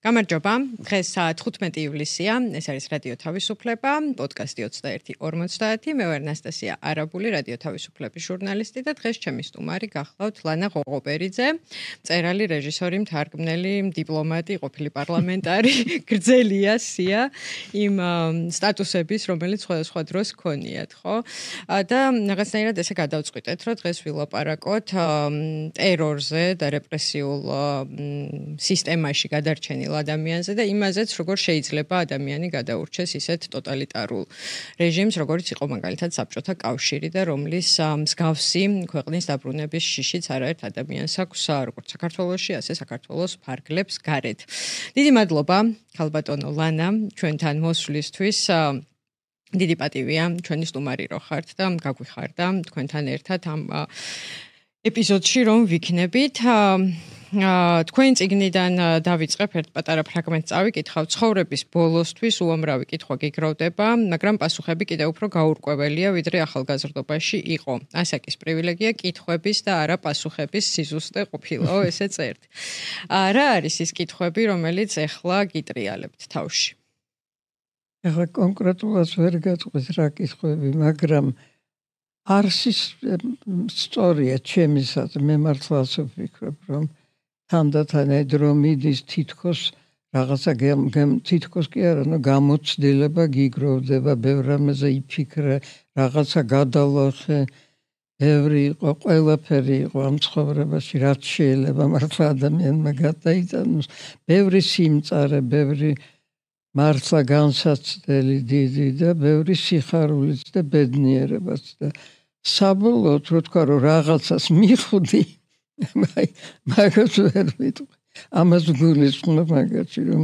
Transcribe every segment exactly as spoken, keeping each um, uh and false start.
გამარჯობა. დღეს თხუთმეტი ივლისია. ეს არის რადიო თავისუფლება, პოდკასტი ოცდაერთი ორმოცდაათი. მე ვარ ნასტასია არაბული, რადიო თავისუფლების ჟურნალისტი და დღეს ჩემი სტუმარი გახლავთ ლანა ღოღობერიძე, მწერალი, რეჟისორი, მთარგმნელი, დიპლომატი, ყოფილი პარლამენტარი, გრძელია სია იმ სტატუსების, რომელიც სხვადასხვა დროს ქონიათ, ხო? და რაღაცნაირად ესე გადავწყვიტეთ, რომ დღეს ვილაპარაკოთ ტერორზე და რეპრესიულ სისტემაში გადარჩენილ ადამიანზე და იმაზეც, როგორ შეიძლება ადამიანი გადაურჩეს ისეთ ტოტალიტარულ რეჟიმს, როგორც იყო მაგალითად საბჭოთა კავშირი და რომლის მსგავსი ქვეყნის დაბრუნების შიშიც არაერთ ადამიანს აქვს, როგორც საქართველოში, ასე საქართველოს ფარგლებს გარეთ. დიდი მადლობა, ქალბატონო ლანა, ჩვენთან მოსვლისთვის. დიდი პატივია ჩვენი სტუმარი რო ხართ და გაგვიხარდა თქვენთან ერთად ამ ეპიზოდში რომ ვიქნებით. თქვენ წიგნიდან დავიწყებ ერთ პატარა ფრაგმენტს წავიკითხავ. ცხოვრების ბოლოსთვის უამრავი კითხვა გიგროვდება, მაგრამ პასუხები კიდევ უფრო გაურკვეველია, ვიდრე ახალგაზრდობაში იყო. ასაკის პრივილეგია კითხვების და არა პასუხების სიზუსტე ყოფილაო, ესე წერთ. რა არის ის კითხვები, რომელიც ეხლა გიტრიალებთ თავში? ეხლა კონკრეტულად ვერ გაწყვეტ რა კითხვები, მაგრამ არსის სწორია ჩემისაც, მე მართლა ასე ვფიქრობ, რომ თანდათან დრო მიდის თითქოს რაღაცა თითქოს კი არა, ნუ გამოცდილება გიგროვდება, ბევრ რამეზე იფიქრე, რაღაცა გადალახე, ბევრი იყო, ყველაფერი იყო ამ ცხოვრებაში, რაც შეიძლება მართლა ადამიანმა გადაიტანოს, ბევრი სიმწარე, ბევრი მართლა განსაცდელი დიდი და ბევრი სიხარულიც და ბედნიერებაც და საბოლოოდ რო თქვა რომ რაღაცას მიხვდი, მაგას ვერ ვიტყვი. ამას გულისხმობ მაგაში რომ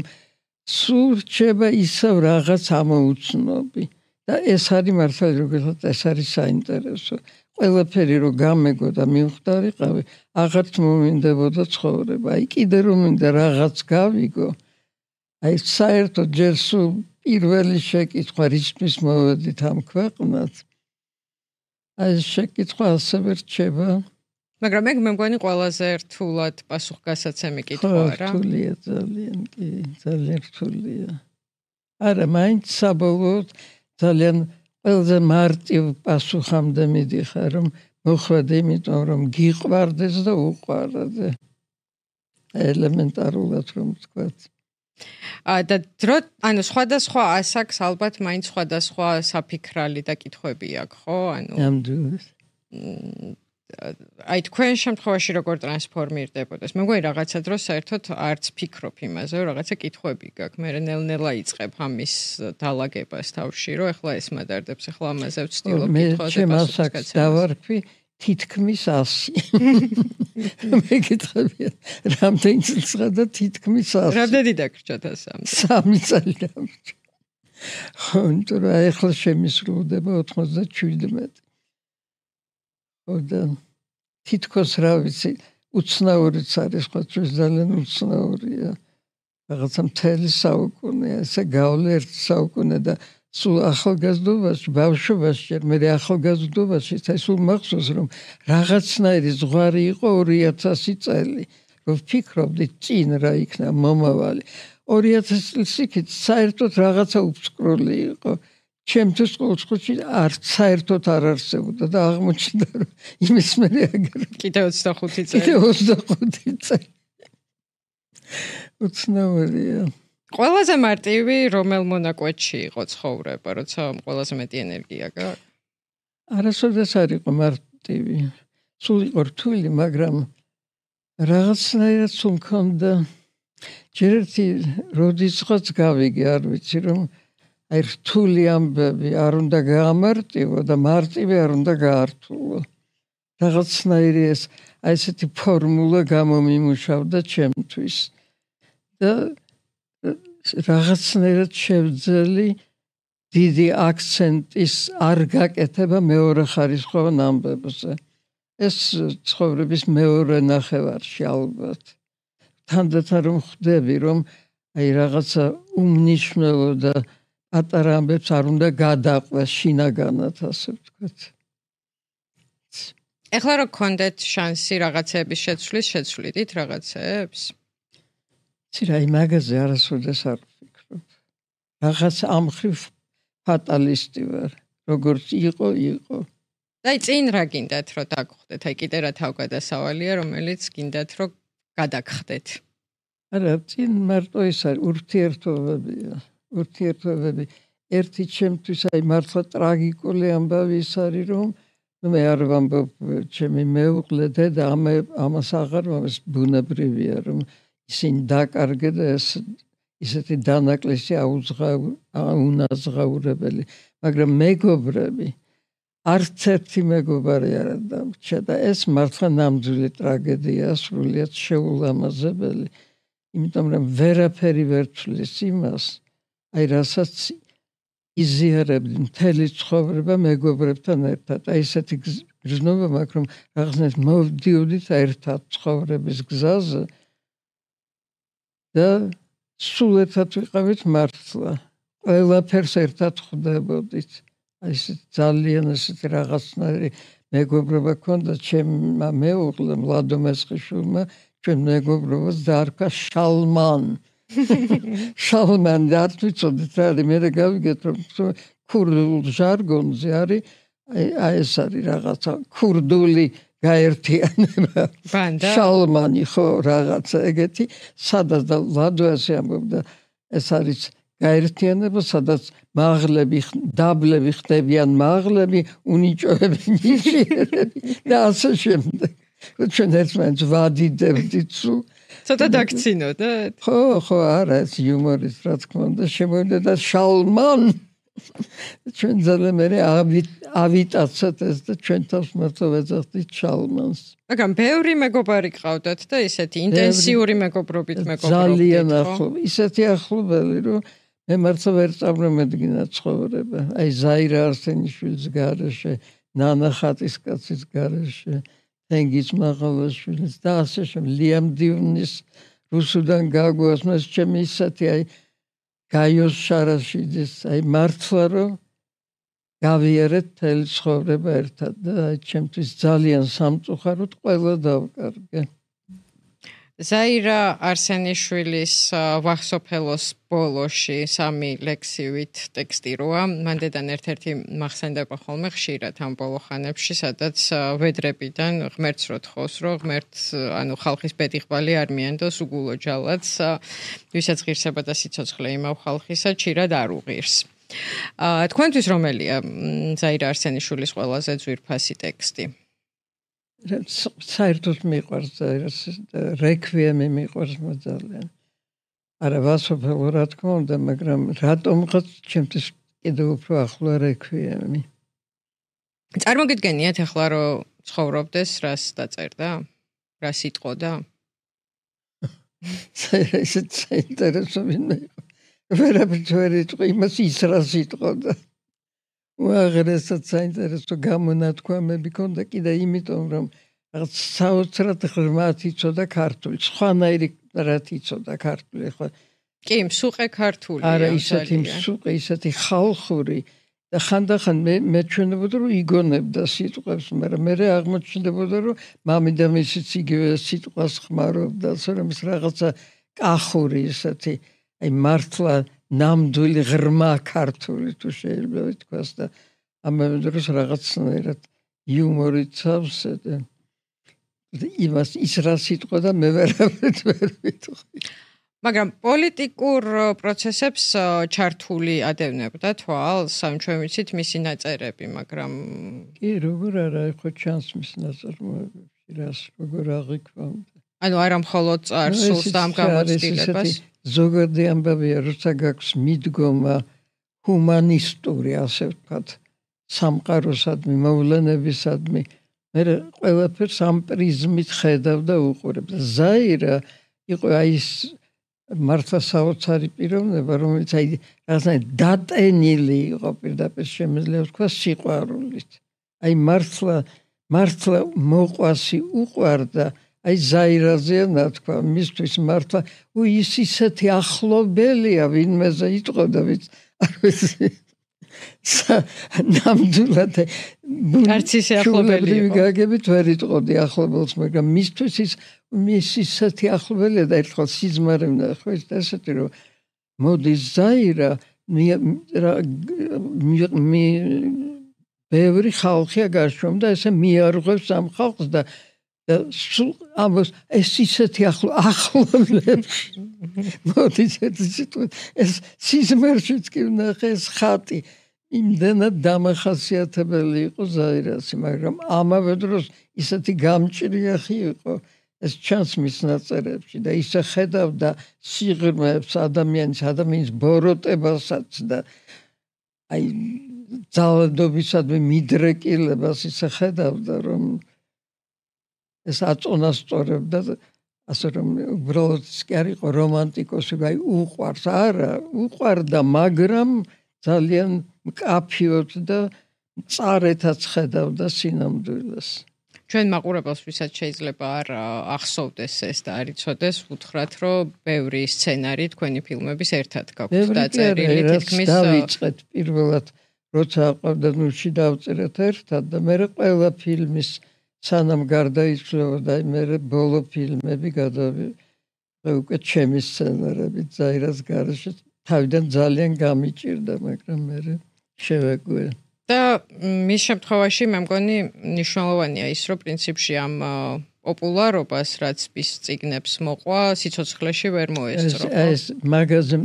სულ რჩება ისევ რაღაც ამოუცნობი და ეს არის მართლა როგორც ეს არის საინტერესო. ყველაფერი რო გამეგო და მივხვდარიყავი, აღარც მომინდებოდა ცხოვრება. აი კიდე რომ მინდა რაღაც გავიგო. აი საერთოდ ჯერ სულ პირველი შეკითხვა რისთვის მოვედით ამ ქვეყნად. აი შეკითხვა ასევე რჩება. მაგრამ მე მგონი ყველაზე რთულად პასუხგასაცემი კითხვა რა. რთულია ძალიან, კი, ძალიან რთულია. არა, მაინც საბოლოოდ ძალიან ყველაზე მარტივ პასუხამდე მიდიხარ, რომ მოხვედე, იმიტომ რომ გიყვარდეს და უყვარდე. ელემენტარულად რომ ვთქვათ. და დრო, ანუ სხვადასხვა ასაკს ალბათ მაინც სხვადასხვა საფიქრალი და კითხვები აქვს, ხო? ანუ ნამდვილად. აი თქვენ შემთხვევაში როგორ ტრანსფორმირდებოდეს? მე მგონი რაღაცა დროს საერთოდ არც ფიქრობ იმაზე, რომ რაღაცა კითხვები გაქვს. მე ნელ-ნელა იწყებ ამის დალაგებას თავში, რომ ეხლა ეს მადარდებს, ეხლა ამაზე ვცდილობ კითხვაზე პასუხს დავარქვი თითქმის ასი. მე გითხებია, რამდენი წელს და თითქმის ასი. რამდენი დაგრჩათ ასამდე? სამი წელი დამრჩა. ხო, იმიტომ რომ ეხლა შემისრულდება ოცდაშვიდმეტი. ხო და თითქოს რა ვიცი, უცნაურიც არის, ხო ძალიან უცნაურია. რაღაცა მთელი საუკუნეა, ესე გავლე ერთი საუკუნე და სულ ახალგაზრდობაში, ბავშვობაში, ჯერ მე ახალგაზრდობაში, სულ მახსოვს რომ რაღაცნაირი ზღვარი იყო ორი ათასი წელი, რომ ვფიქრობდი წინ რა იქნა მომავალი. ორი ათასი წლის იქით საერთოდ რაღაცა უფსკრული იყო. ჩემთვის ყოველთვის არც საერთოდ არ არსებობდა და აღმოჩნდა რომ იმის მერე აგერ კიდე ოცდახუთი წელი. კიდე ოცდახუთი წელი. უცნაურია. ყველაზე მარტივი რომელ მონაკვეთში იყო ცხოვრება, როცა ყველაზე მეტი ენერგია გაქვს? არასოდეს არ იყო მარტივი. სულ იყო რთული, მაგრამ რაღაცნაირად სულ მქონდა ჯერ ერთი როდისღაც გავიგე, არ ვიცი რომ აი რთული ამბები არ უნდა გაამარტივო და მარტივი არ უნდა გაართულო. რაღაცნაირი ეს აი ესეთი ფორმულა გამომიმუშავდა ჩემთვის და რაღაცნაირად შევძელი დიდი აქცენტის არ გაკეთება მეორე ხარისხოვან ამბებზე. ეს ცხოვრების მეორე ნახევარში ალბათ. თანდათან რომ ხვდები, რომ აი რაღაცა უმნიშვნელო და პატარა ამბებს არ უნდა გადაყვეს შინაგანად, ასე ვთქვათ. ეხლა რო გქონდეთ შანსი რაღაცეების შეცვლის, შეცვლიდით რაღაცეებს? ცირაი მაგაზე არასოდეს არ ვფიქრობ. Რაღაც ამხრივ ფატალისტი ვარ. როგორც იყო, იყო. აი წინ რა გინდათ რომ დაგხვდეთ? აი კიდე რა თავგადასავალია, რომელიც გინდათ რომ გადაგხდეთ? არა, წინ მარტო ის არის ურთიერთობებია. ურთიერთობები ერთი ჩემთვის აი მართლა ტრაგიკული ამბავი ის არის რომ მე არ ვამბობ ჩემი მეუღლე დედა ამას აღარ მომს ბუნებრივია რომ ისინი დაკარგე და ეს ისეთი დანაკლისი აუნაზღაურებელი, მაგრამ მეგობრები არც ერთი მეგობარი არ დამრჩა და ეს მართლა ნამდვილი ტრაგედია, სრულიად შეულამაზებელი, იმიტომ რომ ვერაფერი ვერ თვლის იმას, აი რასაც იზიარებდი მთელი ცხოვრება მეგობრებთან ერთად. აი ესეთი გრძნობა მაქვს, რომ რაღაცნაირად მოვდიოდით ერთად ცხოვრების გზაზე და სულ ერთად ვიყავით მართლა. ყველაფერს ერთად ხვდებოდით. აი ეს ძალიან ესეთი რაღაცნაირი მეგობრობა ქონდა ჩემმა მეუღლემ ლადო მესხიშვილმა, ჩვენ მეგობრობას დაარქვა შალმან. შალმან და არ ვიცოდით რა არის, მე გავიგეთ რომ ქურდულ ჟარგონზე არის აი ეს არის რაღაცა ქურდული გაერთიანება. ბანდა შალმანი ხო რაღაცა ეგეთი, სადაც და ლადო ასე ამბობდა, ეს არის გაერთიანება, სადაც მაღლები, დაბლები ხდებიან მაღლები, უნიჭოები ნიშნები და ასე შემდეგ. ჩვენ ერთმანეთს ვადიდებდით სულ. ცოტა დაგცინოდეთ? ხო, ხო, არა, ეს იუმორის რა თქმა უნდა შემოვიდა და შალმან ჩვენ ძალიან მე ავიტაცეთ ეს და ჩვენ თავს მართლა ვეძახდით შალმანს. მაგრამ ბევრი მეგობარი ყავდათ და ისეთი ინტენსიური მეგობრობით მეგობრობდით. ძალიან ახლო, ისეთი ახლობელი რომ მე მართლა ვერ წარმომედგინა ცხოვრება. აი ზაირა არსენიშვილის გარეშე, ნანა ხატისკაცის გარეშე, თენგიზ მაღალაშვილის და ასე შემდეგ, ლიამ დიუნის რუსუდან გაგვას მას ჩემი ისეთი აი გაიოს შარაშიძის აი მართლა რომ გავიარეთ თელი ცხოვრება ერთად და აი ჩემთვის ძალიან სამწუხაროდ ყველა დავკარგე. ზაირა არსენიშვილის ვახსოფელოს ბოლოში სამი ლექსივით ტექსტი როა, მანდედან ერთ-ერთი მახსენდება ხოლმე ხშირად ამ ბოლოხანებში, სადაც ვედრებიდან ღმერთს რო თხოვს, რომ ღმერთს ანუ ხალხის ბედიღბალი არ მიანდოს უგულო ჯალათს, ვისაც ღირსება და სიცოცხლე იმავ ხალხისა ჩირად არ უღირს. თქვენთვის რომელია ზაირა არსენიშვილის ყველაზე ძვირფასი ტექსტი? საერთოდ მიყვარს რეკვიემი მიყვარს ძალიან. არა ვასოფელო რა თქმა უნდა, მაგრამ რატომღაც ჩემთვის კიდევ უფრო ახლო რეკვიემი. წარმოგიდგენიათ ახლა რომ ცხოვრობდეს, რას დაწერდა? რა სიტყოდა? ესეც საინტერესო ვინმე იყო. ვერაფერს ვერ იტყვი იმას ის რა სიტყოდა. უაღრესად საინტერესო გამონათქვამები ქონდა კიდე იმიტომ რომ რაღაც საოცრად ღრმად იცოდა ქართული, სხვანაირი რაც იცოდა ქართული ხო. კი, მსუყე ქართულია. არა, ისეთი მსუყე, ისეთი ხალხური და ხანდახან მე მეჩვენებოდა რომ იგონებდა სიტყვებს, მაგრამ მე აღმოჩნდებოდა რომ მამიდა მისიც იგივე სიტყვას ხმარობდა, რომ ის რაღაცა კახური ისეთი, აი მართლა ნამდვილი ღრმა ქართული თუ შეიძლება ითქვას და ამავე დროს რაღაცნაირად იუმორით სავსე და იმას ის რა სიტყვა და მე ვერავით ვერ ვიტყვი. მაგრამ პოლიტიკურ პროცესებს ჩართული ადევნებდა თვალს, ამ ჩვენ ვიცით მისი ნაწერები, მაგრამ კი, როგორ არა, ხო ჩანს მის ნაწარმოებებში, რას როგორ აღიქვამდა. ანუ არა მხოლოდ წარსულს და ამ გამოცდილებას. ზოგადი ამბავია, როცა გაქვს მიდგომა ჰუმანისტური, ასე ვთქვათ, სამყაროსადმი, მოვლენებისადმი, მე ყველაფერს ამ პრიზმით ხედავ და უყურებ. ზაირა იყო აი ის მართლა საოცარი პიროვნება, რომელიც აი რაღაცნაირად დატენილი იყო პირდაპირ შემიძლია ვთქვა სიყვარულით. აი მართლა მართლა მოყვასი უყვარდა აი ზაირაზეა ნათქვა, მისთვის მართლა ის ისეთი ახლობელია ვინმეზე იტყოდა, ვიც არ ვიცი. ნამდვილად არც ისე ახლობელი იყო. გაგებით ვერ იტყოდი ახლობელს, მაგრამ მისთვის ის მის ისეთი ახლობელია და ერთხელ სიზმარი ვნახე, ეს ესეთი რომ მოდის ზაირა მე ბევრი ხალხია გარშემო და ესე მიარღვევს ამ ხალხს და და სულ ამას ეს ისეთი ახლო ახლობლებში მოდის ეს სიზმარშიც კი ვნახე ეს ხატი იმდენად დამახასიათებელი იყო ზაირასი, მაგრამ ამავე დროს ისეთი გამჭრიახი იყო ეს ჩანს მის ნაწერებში და ისე ხედავდა სიღრმეებს ადამიანის ადამიანის ბოროტებასაც და აი ძალადობისადმი მიდრეკილებას ისე ხედავდა რომ ეს აწონასწორებდა ასე რომ უბრალოდ კი არ იყო რომანტიკოსი, აი უყვარს არა, უყვარდა, მაგრამ ძალიან მკაფიოდ და წარეთაც ხედავდა სინამდვილეს. ჩვენ მაყურებელს ვისაც შეიძლება არ ახსოვდეს ეს და არ იცოდეს, ვუთხრათ, რომ ბევრი სცენარი თქვენი ფილმების ერთად გაქვთ დაწერილი, თითქმის დავიწყეთ პირველად, როცა აყვავდა ნუში დავწერეთ ერთად და მე ყველა ფილმის სანამ გარდაიცვალა, მე ბოლო ფილმები გადავიღე უკვე ჩემი სცენარებით ზაირას გარეშე, თავიდან ძალიან გამიჭირდა, მაგრამ მე შევეგვე. და მის შემთხვევაში მე მგონი მნიშვნელოვანია ის, რომ პრინციპში ამ პოპულარობას, რაც ის წიგნებს მოყვა, სიცოცხლეში ვერ მოესწრო. ეს მაგაზე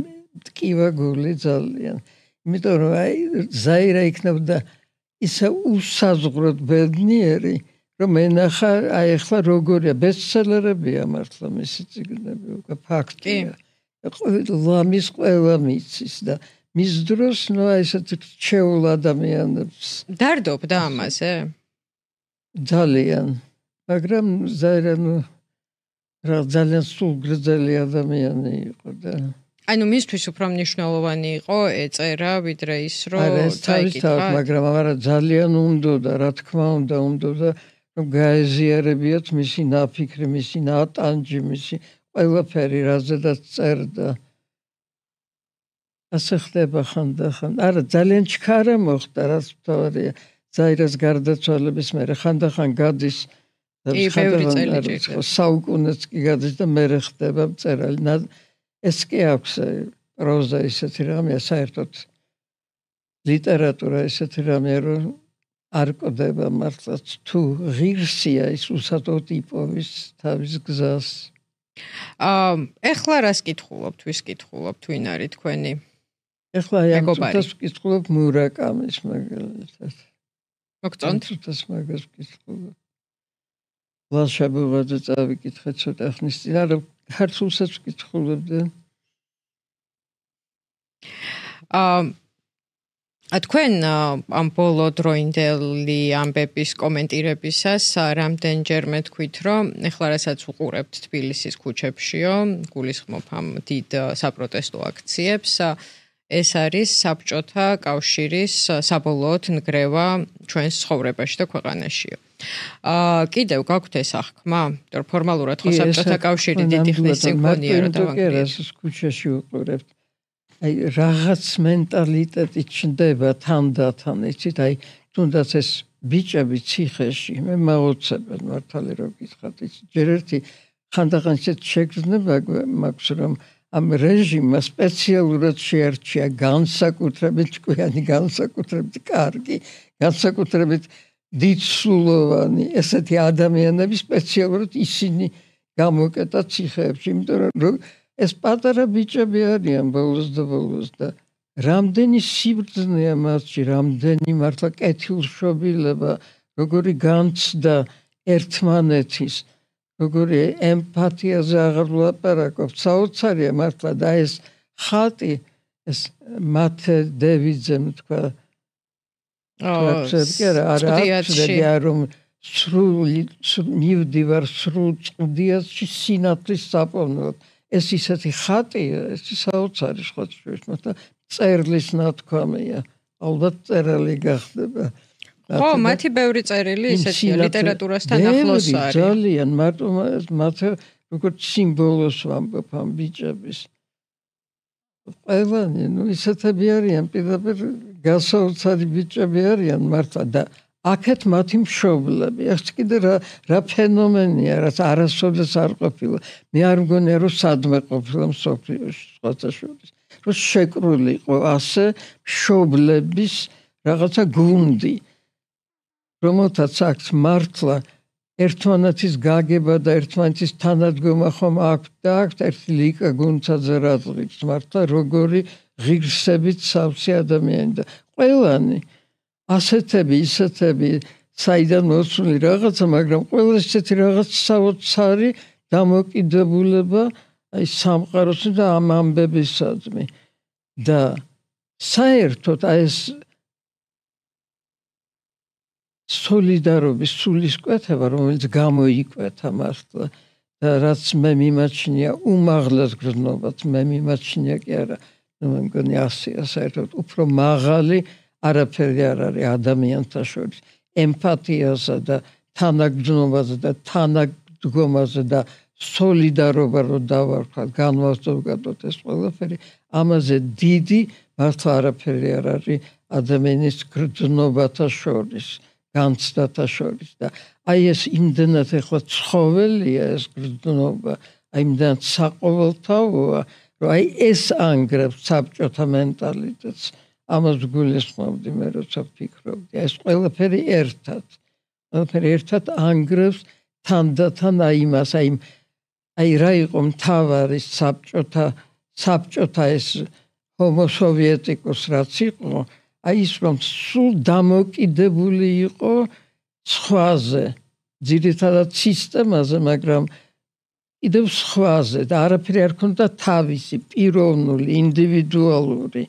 ტკივა გული ძალიან. იმიტომ რომ აი ზაირა იქნებოდა ისე უსაზღვროდ ბედნიერი, რომ ენახა აი ახლა როგორია ბესტსელერებია მართლა მისი წიგნები, უკვე ფაქტია. ლამის ყველა მიცის და მის დროს ნუ ესეთ რჩეულ ადამიანებს დარდობდა ამაზე? ძალიან, მაგრამ ზაირა ნუ რა ძალიან სულგრძელი ადამიანი იყო და ანუ მისთვის უფრო მნიშვნელოვანი იყო ეწერა ვიდრე ის რომ წაიკითხა, მაგრამ არა ძალიან უნდოდა, რა თქმა უნდა, უნდოდა რომ გაეზიარებიათ მისი ნაფიქრი, მისი ნატანჯი, მისი ყველაფერი რაზედაც წერდა. ასე ხდება ხანდახან. არა, ძალიან ჩქარა მოხდა, რაც მთავარია. ზაირას გარდაცვალების მერე ხანდახან გადის საუკუნეც კი გადის და მერე ხდება მწერალი. ეს კი აქვს პროზა ისეთი რამეა, საერთოდ ლიტერატურა ისეთი რამეა, რომ არ ყდება მართლაც თუ ღირსია ის უსატოდ იპოვის თავის გზას. აა ეხლა რას კითხულობთ, ვის კითხულობთ, ვინ არის თქვენი? ეხლა ამ წუთას ვკითხულობ მურაკამის მაგალითად. მოგწონთ? წუთას მაგას ვკითხულობ. ლაშაბურაძე წავიკითხე ცოტა ხნის წინ, არა ქართულსაც ვკითხულობდი. აა თქვენ ამ ბოლო დროინდელი ამბების კომენტირებისას რამდენჯერმე თქვით, რომ ეხლა რასაც უყურებთ თბილისის ქუჩებშიო, გულისხმობ ამ დიდ საპროტესტო აქციებს, ეს არის საბჭოთა კავშირის საბოლოოდ ნგრევა ჩვენს ცხოვრებაში და ქვეყანაშიო. აა კიდევ გაქვთ ეს აღქმა? იმიტომ ფორმალურად ხო საბჭოთა კავშირი დიდი ხნის წინ გქონია რა დავანგრიეთ. ეს ქუჩაში უყურებთ. აი რაღაც მენტალიტეტი ჩნდება თანდათან, იცით, აი თუნდაც ეს ბიჭები ციხეში, მე მაოცებენ მართალი რომ გითხრათ, იცით, ჯერ ერთი ხანდახან ისეთ შეგრძნება მაქვს, რომ ამ რეჟიმმა სპეციალურად შეარჩია განსაკუთრებით ჭკვიანი, განსაკუთრებით კარგი, განსაკუთრებით დიდსულოვანი ესეთი ადამიანები სპეციალურად ისინი გამოკეტა ციხეებში, იმიტომ რომ ეს პატარა ბიჭები არიან ბოლოს და ბოლოს და რამდენი სიბრძნეა მასში, რამდენი მართლა კეთილშობილება, როგორი განცდა ერთმანეთის, როგორი ემპათიაზე აღარ ვლაპარაკობ, საოცარია მართლა და ეს ხატი, ეს მათე დევიძემ თქვა, არა, რომ სრული მივდივარ სრულ წვდიაში სინათლის საპოვნელად. ეს ისეთი ხატია, ეს საოცარი ხოთშუის და წერლის ნათქვამია. ალბათ წერალი გახდება. ხო, მათი ბევრი წერილი ისეთია, ლიტერატურასთან ახლოს არის. ძალიან, მარტო მათ როგორც სიმბოლოს ვამბობ ამ ბიჭების. ყველანი, ნუ ისეთები არიან, პირდაპირ გასაოცარი ბიჭები არიან მართლა და აქეთ მათი მშობლები. ეს კიდე რა რა ფენომენია, რაც არასოდეს არ ყოფილა. მე არ მგონია რომ სადმე ყოფილა მსოფლიოში სხვათა შორის. რომ შეკრული იყო ასე მშობლების რაღაცა გუნდი, რომელთაც აქვს მართლა ერთმანეთის გაგება და ერთმანეთის თანადგომა ხომ აქვს და აქვს ერთი ლიკა გუნცაძე რადღიც მართლა როგორი ღირსებით სავსე ადამიანი და ყველანი ასეთები ისეთები საიდან მოსული რაღაცა, მაგრამ ყველა ესეთი რაღაც საოცარი დამოკიდებულება აი სამყაროს და ამ ამბებისადმი და საერთოდ აი ეს სოლიდარობის სულისკვეთება, რომელიც გამოიკვეთა მართლა და რაც მე მიმაჩნია უმაღლეს გრძნობას, მე მიმაჩნია კი არა, მე მგონი ასეა საერთოდ უფრო მაღალი არაფერი არ არის ადამიანთა შორის ემპათიასა და თანაგრძნობაზე და თანადგომაზე და სოლიდარობა რო დავარქვათ, განვასწორებთ ეს ყველაფერი, ამაზე დიდი მართლა არაფერი არ არის ადამიანის გრძნობათა შორის, განცდათა შორის და აი ეს იმდენად ეხლა ცხოველია ეს გრძნობა, აი იმდენად საყოველთაოა, რომ აი ეს ანგრევს საბჭოთა მენტალიტეტს. ამას გულისხმობდი მე როცა ვფიქრობდი, ეს ყველაფერი ერთად, ყველაფერი ერთად ანგრევს თანდათან აი იმას, აი აი რა იყო მთავარი საბჭოთა საბჭოთა ეს ჰომო სოვიეტიკოს რაც იყო, აი ის რომ სულ დამოკიდებული იყო სხვაზე, ძირითადად სისტემაზე, მაგრამ კიდევ სხვაზე და არაფერი არ ქონდა თავისი, პიროვნული, ინდივიდუალური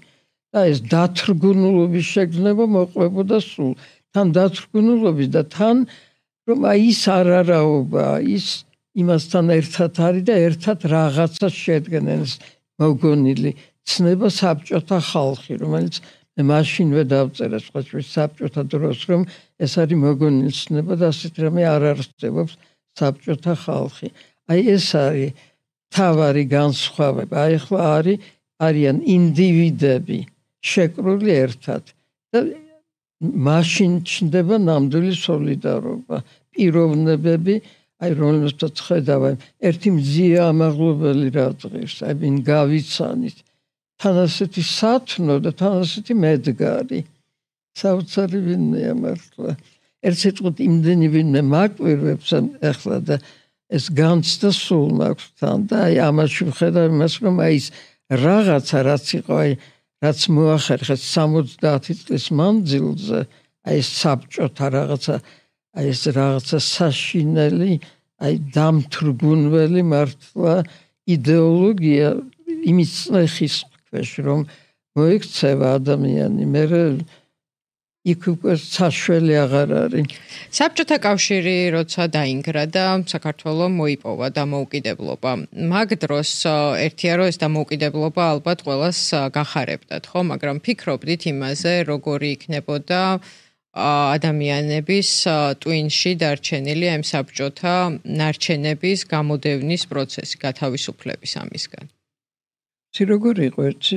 და ეს დათრგუნულობის შეგრძნება მოყვებოდა სულ. თან დათრგუნულობის და თან რომ აი ის არარაობა, ის იმასთან ერთად არის და ერთად რაღაცა შედგენენ მოგონილი ცნება საბჭოთა ხალხი, რომელიც მე მაშინვე დავწერა სხვათვის საბჭოთა დროს, რომ ეს არის მოგონილი ცნება და ასეთ რამე არ არსებობს საბჭოთა ხალხი. აი ეს არის თავარი განსხვავება. აი ახლა არის არიან ინდივიდები შეკრული ერთად და მაშინ ჩნდება ნამდვილი სოლიდარობა, პიროვნებები, აი რომელსაც ხედავ, ერთი მზია ამაღლობელი რადღირს, აი ვინ გავიცანით, თან ასეთი სათნო და თან ასეთი მედგარი. საოცარი ვინმეა მართლა. ერთ სიტყვით იმდენი ვინმე მაკვირვებს ახლა და ეს განცდა სულ მაქვს თან და აი ამაში ვხედავ იმას, რომ აი ეს რაღაცა რაც იყო, აი რაც მოახერხეს სამოცდაათი წლის მანძილზე, აი ეს საბჭოთა რაღაცა, აი ეს რაღაცა საშინელი, აი დამთრგუნველი მართლა იდეოლოგია იმის წნეხის ქვეშ, რომ მოიქცევა ადამიანი, მე იქ უკვე საშველი აღარ არის. საბჭოთა კავშირი როცა დაინგრა და საქართველოს მოიპოვა დამოუკიდებლობა. მაგ დროს ერთია რომ ეს დამოუკიდებლობა ალბათ ყველას გახარებდათ, ხო? მაგრამ ფიქრობდით იმაზე, როგორი იქნებოდა ადამიანების ტვინში დარჩენილი ამ საბჭოთა ნარჩენების გამოდევნის პროცესი, გათავისუფლების ამისგან. ცი როგორი იყო ერთი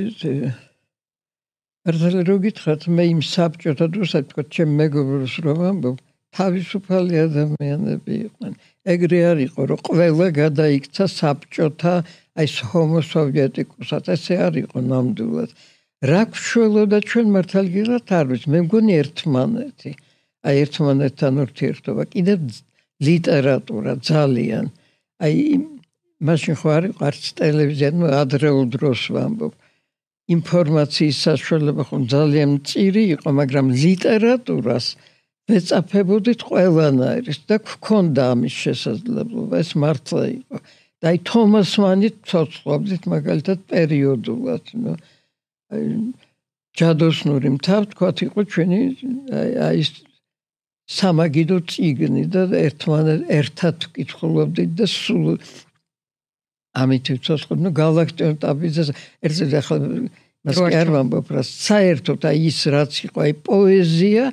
ერთად რო გითხრათ, მე იმ საბჭოთა დროს თქვა ჩემ მეგობრებს რომ ამბობ, თავისუფალი ადამიანები იყვნენ. ეგრე არ იყო, რომ ყველა გადაიქცა საბჭოთა აი ეს ჰომო სოვიეტიკოსად, ესე არ იყო ნამდვილად. რა გვშველოდა ჩვენ მართალგილად არ ვიცი, მე მგონი ერთმანეთი. აი ერთმანეთთან ურთიერთობა, კიდევ ლიტერატურა ძალიან. აი მაშინ ხო არ იყო არც ტელევიზია, ნუ ადრეულ დროს ვამბობ. ინფორმაციის საშუალება ხო ძალიან მწირი იყო, მაგრამ ლიტერატურას ვეწაფებოდით ყველანაირს და გქონდა ამის შესაძლებლობა, ეს მართლა იყო. და აი თომას მანით ცოცხლობდით მაგალითად პერიოდულად, ნუ აი ჯადოსნური მთა თქვათ იყო ჩვენი აი ეს სამაგიდო წიგნი და ერთმანეთ ერთად ვკითხულობდით და სულ ამით ვიცოცხლობ, ნუ გალაქტიონ ტაბიძეს ერთად ახლა მას კი არ ვამბობ რა, საერთოდ აი ის რაც იყო, აი პოეზია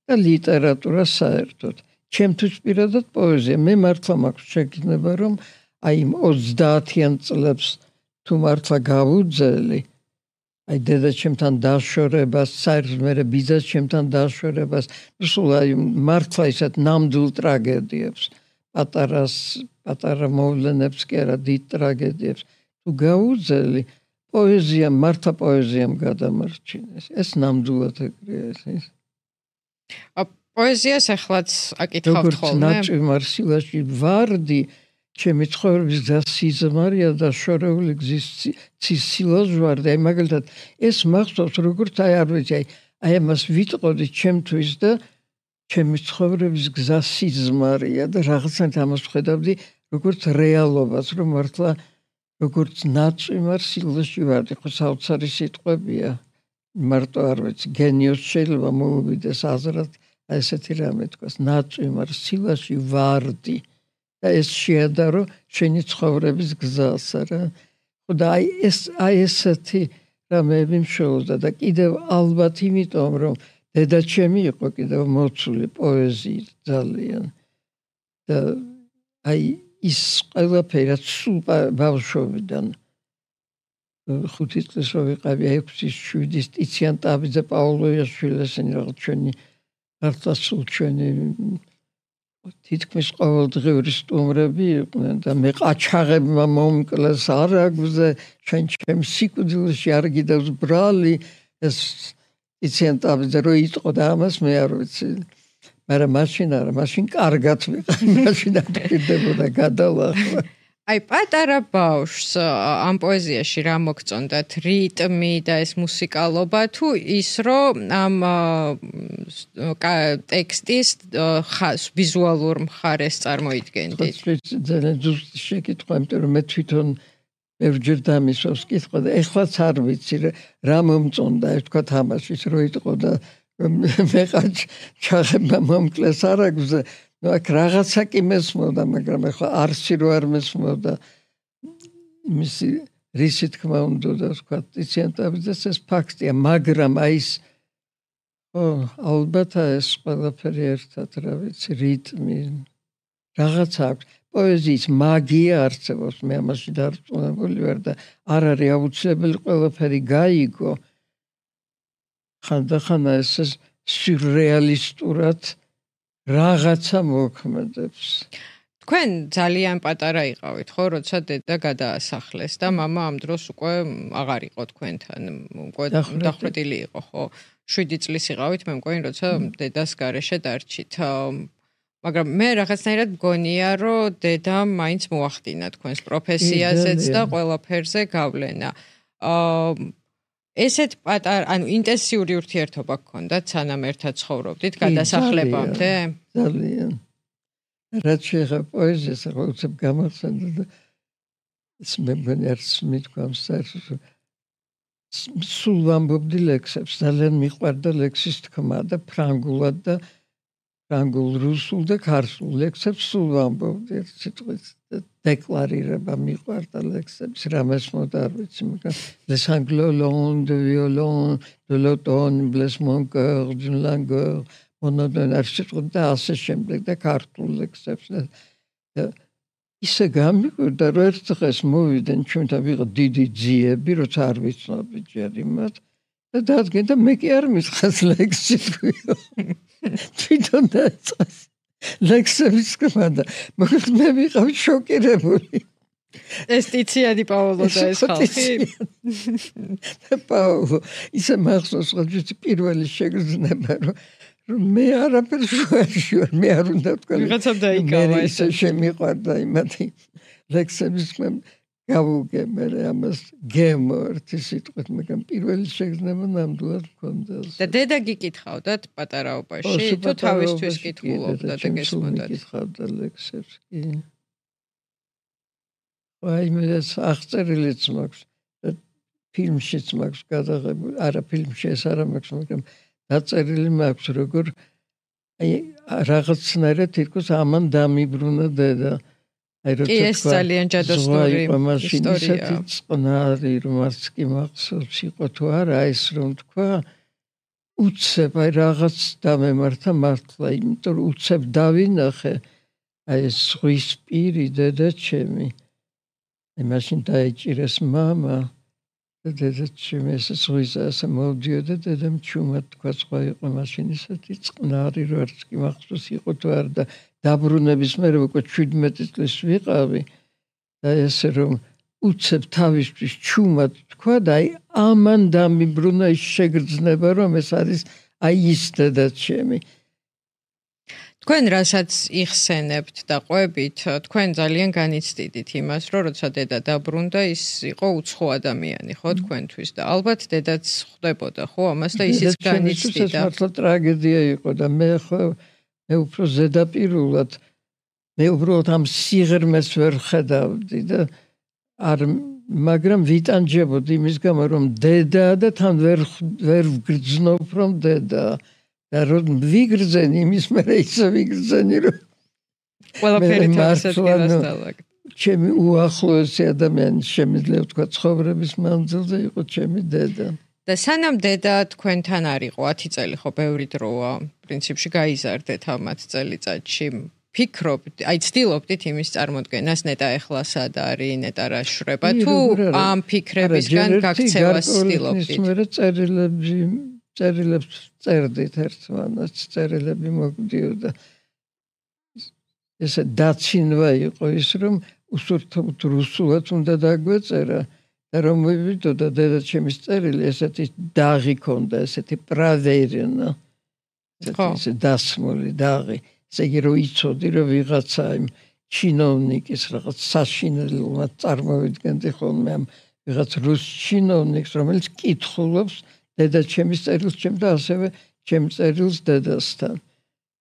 და ლიტერატურა საერთოდ. ჩემთვის პირადად პოეზია, მე მართლა მაქვს შეგრძნება, რომ აი ოცდაათიან წლებს თუ მართლა გავუძელი, აი დედაჩემთან დაშორებას, საერთოდ მე ბიძას ჩემთან დაშორებას, სულ აი მართლა ისეთ ნამდვილ ტრაგედიებს, პატარას, პატარა მოვლენებს კი არა, დიდ ტრაგედიებს თუ გაუძელი, პოეზია მართლა პოეზიამ გადამარჩინეს. ეს ნამდვილად ეგრეა ეს. პოეზიას ახლაც აკითხავთ ხოლმე? როგორც ნაჭიმარ სილაში ვარდი ჩემი ცხოვრების გზას სიზმარია და შორეული გზის ცისილას ვარდი. აი მაგალითად ეს მახსოვს როგორც აი არ ვიცი აი აი ამას ვიტყოდი ჩემთვის და ჩემი ცხოვრების გზას სიზმარია და რაღაცნაირად ამას ვხედავდი როგორც რეალობას, რომ მართლა როგორც ნაჭიმარ სილაში ვარდი. ხო საოცარი სიტყვებია. მარტო არ ვიცი გენიოს შეიძლება მოუვიდეს აზრად აი ესეთი რამე თქვას ნაჭიმარ სილაში ვარდი. და ეს შეადარო შენი ცხოვრების გზას რა. ხო და აი ეს აი ესეთი რამეები მშველოდა და კიდევ ალბათ იმიტომ რომ დედაჩემი იყო კიდევ მოცული პოეზიით ძალიან და აი ის ყველაფერი რაც სულ ბავშვობიდან ხუთი წლის რო ვიყავი ექვსი შვიდი ტიციან ტაბიძე პაულოიაშვილი ესენი რაღაც ჩვენი მართლა სულ ჩვენი თითქმის ყოველდღიური სტუმრები იყვნენ და მე ყაჩაღებმა მომკლეს არაგზე ჩვენ ჩემ სიკვდილში არ გიდევს ბრალი ეს იციან ტაბიძე რო იტყო და ამას მე არ ვიცი მაგრამ მაშინ არა მაშინ კარგად ვიყავი მაშინ აკეთებოდა გადალახვა აი პატარა ბავშვს ამ პოეზიაში რა მოგწონდათ რიტმი და ეს მუსიკალობა თუ ის რომ ამ ტექსტის ვიზუალურ მხარეს წარმოიდგენდით ძალიან ზუსტი შეკითხვა იმიტომ რომ მე თვითონ ბევრჯერ დამისვავს კითხვა და ეხლაც არ ვიცი რა მომწონდა ეს თქვა თამაშის რო იტყო და მე ყაჩაღებმა მომკლეს არაგზე ну აქ რაღაცა კი მესმოდა მაგრამ ახლა არსი რო არ მესმოდა მისი რისი თქმა უნდა და თქვა ტიციან ტაბიძეს ეს ფაქტია მაგრამ აი ეს ო ალბათ ეს ყველაფერი ერთად რა ვიცი რიტმი რაღაცა აქვს პოეზიის მაგია არსებობს მე ამაში დარწმუნებული ვარ და არ არის აუცილებელი ყველაფერი გაიგო ხანდახან ეს სიურრეალისტურად რაღაცა მოქმედებს. თქვენ ძალიან პატარა იყავით, ხო, როცა დედა გადაასახლეს და მამა ამ დროს უკვე აღარ იყო თქვენთან, უკვე დახვრეტილი იყო, ხო? შვიდი წლის იყავით, მე მგონი, როცა დედას გარეშე დარჩით. მაგრამ მე რაღაცნაირად მგონია, რომ დედა მაინც მოახდინა თქვენს პროფესიაზეც და ყველაფერზე გავლენა. აა ესეთ პატარ, ანუ ინტენსიური ურთიერთობა გქონდათ სანამ ერთად ცხოვრობდით გადასახლებამდე? ძალიან. რაც შეეხება პოეზიას, ახლა უცებ გამახსენდა და ეს მე მგონი არც მithქვამს საერთოდ სულ ვამბობდი ლექსებს, ძალიან მიყვარდა ლექსის თქმა და ფრანგულად და ფრანგულ, რუსულ და ქართულ ლექსებს სულ ვამბობდი ერთ სიტყვით. დეკლარირება მიყვარდა ლექსების რამეს მოდა არ ვიცი მაგრამ les sanglots de violon de l'automne blesse mon cœur d'une langueur monotone არჩიტყვი და ასე შემდეგ და ქართულ ლექსებს და ისე გამიკვირდა რომ ერთ დღეს მოვიდნენ ჩვენთან ვიღო დიდი ძიები როცა არ ვიცნობი ჯერ იმათ და დადგენ და მე კი არ მისხეს ლექსი თქვიო თვითონ დაიწყეს ლექსების კმადა მაგრამ მე ვიყავი შოკირებული ეს ტიციანი პაოლო და ეს ხალხი პაოლო ისე მახსოვს რომ პირველი შეგრძნება რომ მე არაფერს შუაში ვარ მე არ უნდა თქვა ვიღაცამ დაიკავა ეს შემიყვარდა იმათი ლექსების გავუგე მე ამას გემორთი სიტყვით მაგრამ პირველი შეგრძნება ნამდვილად მქონდა და დედა გიკითხავდათ პატარაობაში თუ თავისთვის კითხულობდა და გესმოდათ გიკითხავდა ლექსებს კი აი მე ეს აღწერილიც მაქვს და ფილმშიც მაქვს გადაღებული არა ფილმში ეს არა მაქვს მაგრამ დაწერილი მაქვს როგორ აი რაღაცნაირად თითქოს ამან დამიბრუნა დედა კი ეს ძალიან ჯადოსნური ისტორია. წყნარი რომ არც კი მახსოვს იყო თუ არა ეს რომ თქვა უცებ აი რაღაც დამემართა მართლა იმიტომ რომ უცებ დავინახე აი ეს ზღვის პირი დედა ჩემი. აი მაშინ დაიჭირეს მამა დედაჩემი ეს ზღვისა ასე მოვდიოდა დედამ ჩუმად თქვა სხვა იყო მაშინ ისეთი წყნარი რო არც კი მახსოვს იყო თუ არა და დაბრუნების მერე უკვე შვიდმეტი წლის ვიყავი და ესე რომ უცებ თავისთვის ჩუმად თქვა და აი ამან დამიბრუნა ის შეგრძნება რომ ეს არის აი ის დედაჩემი თქვენ რასაც იხსენებთ და ყვებით, თქვენ ძალიან განიცდიდით იმას, რომ როცა დედა დაბრუნდა, ის იყო უცხო ადამიანი, ხო, თქვენთვის და ალბათ დედაც ხვდებოდა, ხო, ამას და ისიც განიცდიდა. ეს მართლა ტრაგედია იყო და მე ხო მე უფრო ზედაპირულად მე უბრალოდ ამ სიღრმეს ვერ ხედავდი და არ მაგრამ ვიტანჯებოდი იმის გამო რომ დედაა და თან ვერ ვერ ვგრძნობ რომ დედაა და რომ ვიგრძენი იმის მერე ისე ვიგრძენი რომ ყველაფერი თავისად დავაგდო. ჩემი უახლოესი ადამიანი შემიძლია ვთქვა ცხოვრების მანძილზე იყო ჩემი დედა. და სანამ დედა თქვენთან არ იყო ათი წელი ხო ბევრი დროა პრინციპში გაიზარდეთ ამ ათი წელიწადში. ფიქრობთ, აი ცდილობდით იმის წარმოდგენას ნეტა ეხლა სად არის, ნეტა რა შრება თუ ამ ფიქრებისგან გაქცევას ცდილობდით? მე წერილები წერილებს წერდით ერთმანეთს, წერილები მოგდიოდა. ესე დაცინვა იყო ის რომ უსურთოდ რუსულად უნდა დაგვეწერა და რომ მივიდოდა დედაჩემის წერილი ესეთი დაღი ქონდა, ესეთი პრავერენა. ესე დასმული დაღი. ესე იგი რომ იცოდი რომ ვიღაცა იმ ჩინოვნიკის რაღაც საშინელმა წარმოვიდგენდი ხოლმე ამ ვიღაც რუს ჩინოვნიკს რომელიც კითხულობს დედაჩემის წერილს ჩემ და ასევე ჩემ წერილს დედასთან.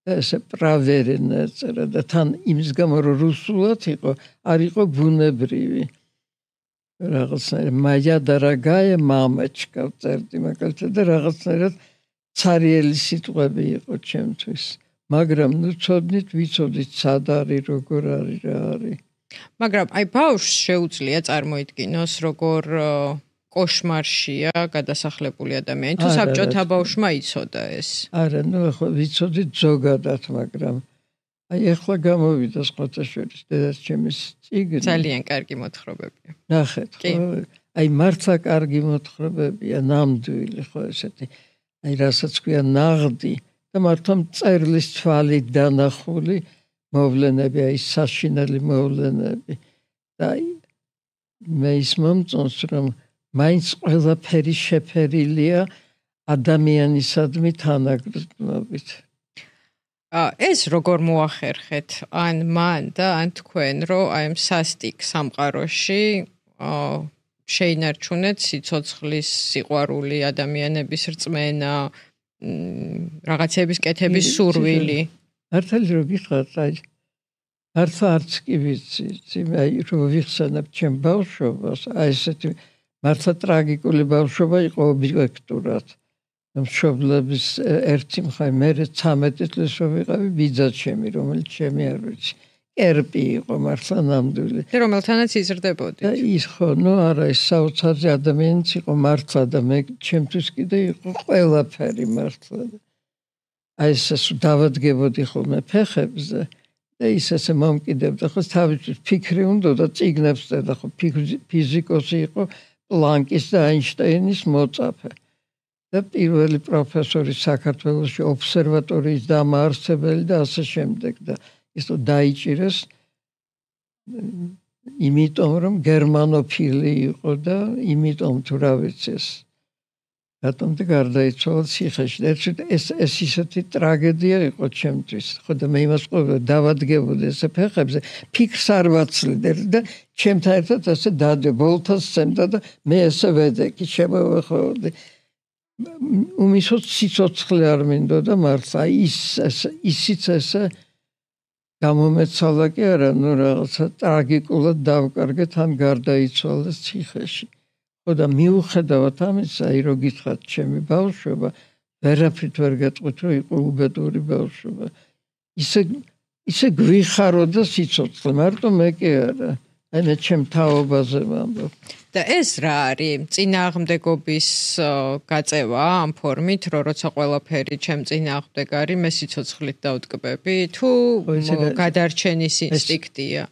და ესე პრავერენა წერა და თან იმის გამო რომ რუსულად იყო, არ იყო ბუნებრივი. რაღაცნაირად მაია დარაგაია მამაჩკა წერდი მაგალითად და რაღაცნაირად ცარიელი სიტყვები იყო ჩემთვის. მაგრამ ნუ ცოდნით, ვიცოდით სად არის, როგორ არის, რა არის. მაგრამ აი ბავშვს შეუძლია წარმოიდგინოს როგორ კოშმარშია გადასახლებული ადამიანი თუ საბჭოთა ბავშვმა იცოდა ეს. არა, ნუ ახლა ვიცოდით ზოგადად, მაგრამ აი ახლა გამოვიდა სხვათა შორის დედაჩემის წიგნი. ძალიან კარგი მოთხრობებია. ნახეთ, აი მართლა კარგი მოთხრობებია, ნამდვილი ხო ესეთი. აი რასაც ქვია ნაღდი და მართლა მწერლის თვალით დანახული მოვლენები, აი საშინელი მოვლენები. და მე ის მომწონს რომ მაინც ყველაფერი შეფერილია ადამიანისადმი თანაგრძნობით. ეს როგორ მოახერხეთ ან მან და ან თქვენ რომ აი ამ სასტიკ სამყაროში შეინარჩუნეთ სიცოცხლის სიყვარული, ადამიანების რწმენა, რაღაცების კეთების სურვილი. მართალი რომ გითხრათ, აი მართლა არც კი ვიცი, აი რომ ვიხსენებ ჩემ ბავშვობას, აი ესეთი მართლა ტრაგიკული ბავშვობა იყო ობიექტურად. მშობლების ერთი მხარე მე ცამეტი წლის რო ვიყავი ბიძაჩემი, რომელიც ჩემი არ ვიცი. კერპი იყო მართლა ნამდვილი. და რომელთანაც იზრდებოდით. და ის ხო, ნუ არა, ის საოცარი ადამიანიც იყო მართლა და მე ჩემთვის კიდე იყო ყველაფერი მართლა. აი ეს დავადგებოდი ხოლმე ფეხებზე და ის ესე მომკიდებდა, ხო თავისთვის ფიქრი უნდა და წიგნებს წერდა, ხო ფიზიკოსი იყო პლანკის და აინშტაინის მოწაფე. და პირველი პროფესორი საქართველოში ობსერვატორიის დამაარსებელი და ასე შემდეგ და ის დაიჭირეს იმიტომ რომ გერმანოფილი იყო და იმიტომ თუ რა ვიცი ეს რატომ და გარდაიცვალა ციხეში. ეს ეს ისეთი ტრაგედია იყო ჩემთვის. ხო და მე იმას ყვები დავადგებოდი ესე ფეხებზე, ფიქრს არ ვაცლიდე და ჩემთან ერთად ესე დადე ბოლთას სცემდა და მე ესე ვედეკი შემოვეხოვდი. უმისოთ სიცოცხლე არ მინდოდა მართლა ის ისიც ესე გამომეცალა კი არა, ნუ რაღაცა ტრაგიკულად დავკარგეთ ან გარდაიცვალა ციხეში. ხო და მიუხედავად ამისა, აი რო გითხრათ ჩემი ბავშვობა, ვერაფრით ვერ გეტყვით რომ იყო უბედური ბავშვობა. ისე ისე გვიხაროდა სიცოცხლე, მარტო მე კი არა. აი მე ჩემ თაობაზე ვამბობ. და ეს რა არის? წინააღმდეგობის გაწევა ამ ფორმით, რომ როცა ყველაფერი ჩემ წინააღმდეგ არის, მე სიცოცხლით დავტკბები თუ გადარჩენის ინსტინქტია?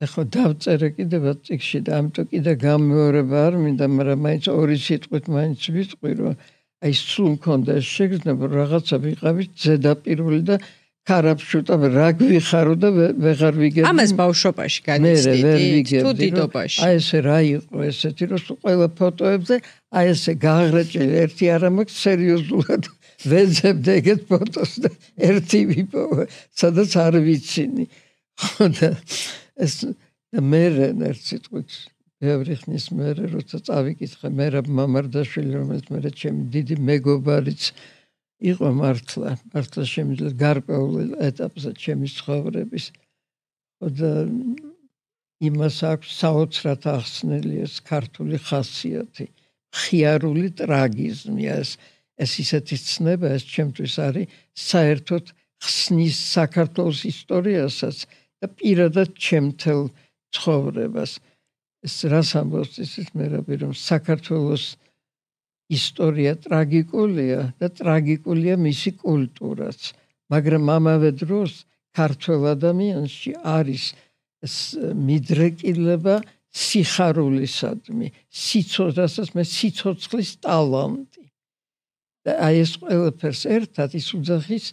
ეხლა დავწერე კიდევ წიგნში და ამიტომ კიდე გამეორება არ მინდა, მაგრამ მაინც ორი სიტყვით მაინც ვიტყვი, რომ აი სულ მქონდა ეს შეგრძნება, რაღაცა ვიყავით ზედაპირული და ქარაფშუტა რა გვიხარო და ვეღარ ვიგებდი. ამას ბავშვობაში განიცდით თუ დიდობაში? აი ესე რა იყო ესეთი, რომ ყველა ფოტოებზე აი ესე გაღრეჭილი ერთი არ მაქვს სერიოზულად ვეძებდი ეგეთ ფოტოს და ერთი ვიპოვე, სადაც არ ვიცინი. ხო და ეს მე ერთ სიტყვით ბევრი ხნის მერე როცა წავიკითხე მერაბ მამარდაშვილი, რომელიც მე ჩემი დიდი მეგობარიც იყო მართლა, მართლა შემიძლია გარკვეულ ეტაპზე ჩემი ცხოვრების. ხო და იმას აქვს საოცრად ახსნილი ეს ქართული ხასიათი, მხიარული ტრაგიზმი, ეს ეს ისეთი ცნება, ეს ჩემთვის არის საერთოდ ხსნის საქართველოს ისტორიასაც და პირადად ჩემთელ ცხოვრებას. ეს რას ამბობს ისიც მერაბი, რომ საქართველოს ისტორია ტრაგიკულია და ტრაგიკულია მისი კულტურაც, მაგრამ ამავე დროს ქართველ ადამიანში არის მიდრეკილება სიხარულისადმი, სიცოცხლესაც მე სიცოცხლის ტალანტი. და აი ეს ყველაფერს ერთად ის უძახის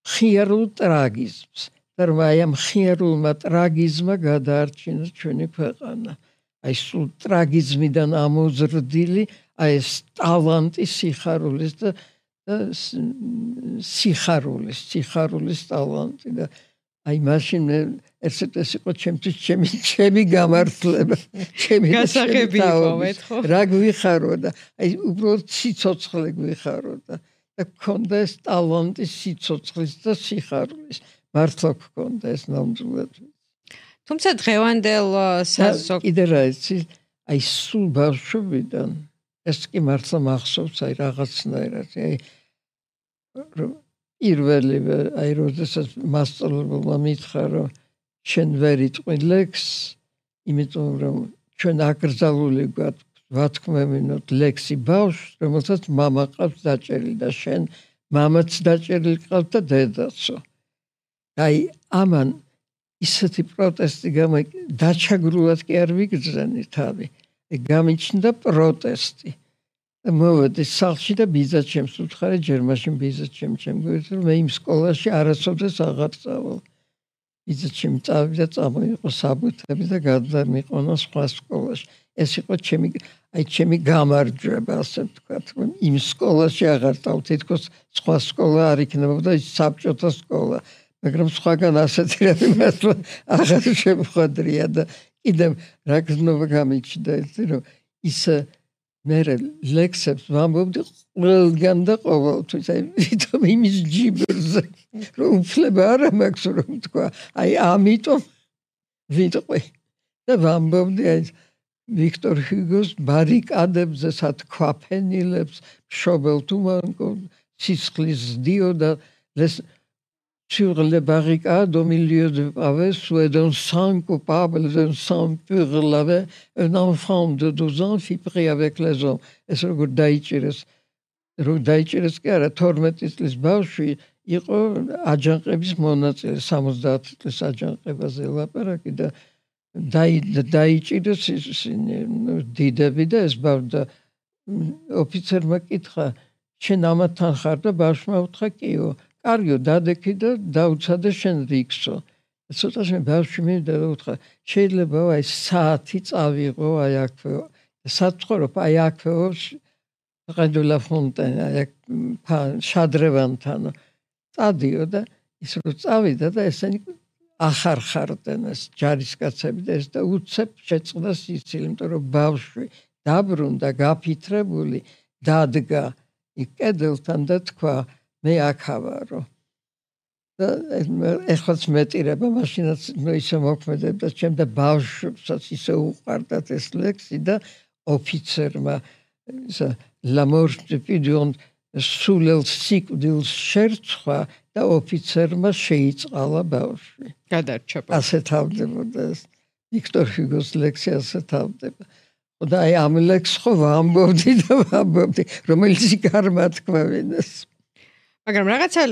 მხიარულ ტრაგიზმს. და რომ აი ამ მხიარულმა ტრაგიზმმა გადაარჩინა ჩვენი ქვეყანა. აი სულ ტრაგიზმიდან ამოზრდილი აი ეს ტალანტი სიხარულის და სიხარულის, სიხარულის ტალანტი და აი მაშინ ერთ ეს იყო ჩემთვის ჩემი ჩემი გამართლება, ჩემი გასაღები იყავით, ხო? რა გვიხარო და აი უბრალოდ სიცოცხლე გვიხარო და და გქონდა ეს ტალანტი სიცოცხლის და სიხარულის. მართლა გქონდა ეს ნამდვილად. თუმცა დღევანდელ საზოგადოებაში კიდე რა იცი, აი სულ ბავშვობიდან ეს კი მართლა მახსოვს აი რაღაცნაირად, აი პირველი აი როდესაც მასწავლებელმა მითხრა, რომ შენ ვერ იტყვი ლექსს, იმიტომ რომ ჩვენ აკრძალული გვაქვს ვათქმევინოთ ლექსი ბავშვს, რომელსაც მამა ყავს დაჭერილი და შენ მამაც დაჭერილი ყავს და დედაცო. აი ამან ისეთი პროტესტი გამა დაჩაგრულად კი არ ვიგრძენი თავი. გამიჩნდა პროტესტი. მოვედი სახლში და ბიძა ჩემს უთხარი, ჯერ მაშინ ბიძა ჩემ ჩემ გვერდზე, რომ მე იმ სკოლაში არასოდეს აღარ წავალ. ბიძა ჩემ წავიდა, წამოიყო საბუთები და გადამიყონა სხვა სკოლაში. ეს იყო ჩემი აი ჩემი გამარჯვება, ასე ვთქვათ, რომ იმ სკოლაში აღარ წავ, თითქოს სხვა სკოლა არ იქნებოდა, ის საბჭოთა სკოლა. მაგრამ სხვაგან ასეთი რამე მართლა აღარ შემხვდრია და კიდევ რა გზნობა გამიჩნდა ეს, რომ ის მე ლექსებს ვამბობდი ყველგან და ყოველთვის, აი ვითომ იმის ჯიბრზე, რომ უფლება არ მაქვს რომ თქვა, აი ამიტომ ვიტყვი და ვამბობდი აი ვიქტორ ჰიუგოს ბარიკადებზე სათქვაფენილებს, მშობელ თუმანკო, სისხლის დიოდა sur les barricades au milieu de pavés, où d'un sang coupable, d'un sang pur lavé, un enfant de douze ans fut pris avec les hommes. Et ce que Daïchiris, Daïchiris qui a tormenté les bauches, il a ajanqebis monats, samuzdat les ajanqebas la parakida. Daïchiris didebida es bavda officer makitra, შენამათან ხარ და ბავშვმა უთხრა კიო. კარგიო დადექი და დაუცადე შენ რიქსო. ცოტაში მე ბავშვი მივიდა და უთხრა შეიძლება აი საათი წავიღო აი აქვე. საცხოვრობ აი აქვეო ყედულა ფონტენა აი შადრევანთან. წადიო და ის რო წავიდა და ესენი ახარხარდნენ ეს ჯარისკაცები და ეს და უცებ შეწყდა სიცილი, იმიტომ რომ ბავშვი დაბრუნდა გაფითრებული დადგა კედელთან და თქვა მე აქავარო და ეხლაც მეტირება მაშინაც ისე მოქმედებდა ჩემ და ბავშვებსაც ისე უყვარდათ ეს ლექსი და ოფიცერმა la mort de Pidion სულელ სიკვდილს შერწყვა და ოფიცერმა შეიწყალა ბავშვი. გადარჩება. ასე თავდებოდა ეს ვიქტორ ჰიუგოს ლექსი ასე თავდება. და აი ამ ლექსს ხო ვამბობდი და ვამბობდი, რომელიც გარმათქმევინეს. მაგრამ რაღაცა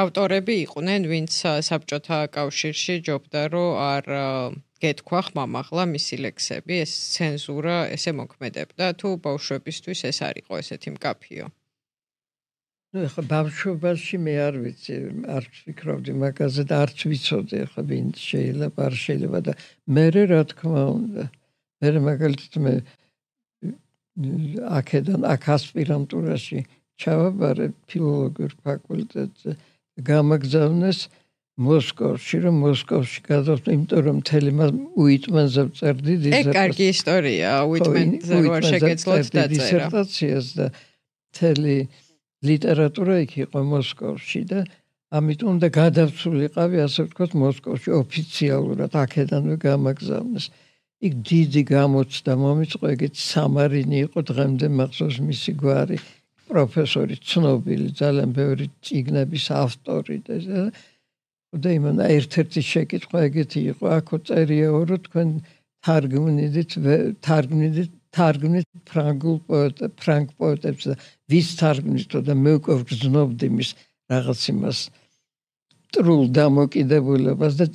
ავტორები იყვნენ, ვინც საბჭოთა კავშირში ჯობდა, რომ არ გეთქვა ხმამაღლა მისი ლექსები, ეს ცენზურა ესე მოქმედებდა, თუ ბავშვებისთვის ეს არ იყო ესეთი მკაფიო. ნუ ახლა ბავშვობაში მე არ ვიცი, არ ვფიქრობდი მაგაზე და არც ვიცოდი ახლა ვინ შეიძლება, არ შეიძლება და მე რა თქმა უნდა. მე მაგალითად მე აქედან აქ ასპირანტურაში ჩავაბარე ფილოლოგიურ ფაკულტეტზე გამაგზავნეს მოსკოვში, რომ მოსკოვში გადავწყვიტე, იმიტომ რომ მთელი უიტმენზე ვწერდი დისერტაციას. ეგ კარგი ისტორია, უიტმენზე რო არ შეგეძლოთ დაწერა. დისერტაციას და მთელი ლიტერატურა იქ იყო მოსკოვში და ამიტომ უნდა გადავცულიყავი, ასე ვთქვათ, მოსკოვში ოფიციალურად აქედანვე გამაგზავნეს. იქ დიდი გამოცდა მომიწყო, ეგეც სამარინი იყო, დღემდე მახსოვს მისი გვარი, პროფესორი ცნობილი, ძალიან ბევრი წიგნების ავტორი და და იმან ერთ-ერთი შეკითხვა ეგეთი იყო, აქო წერიაო, რომ თქვენ თარგმნიდით, თარგმნიდით, თარგმნით ფრანგულ პოეტ, ფრანგ პოეტებს და ვის თარგმნითო და მე უკვე ვგრძნობდი მის რაღაც იმას ტრულ დამოკიდებულებას და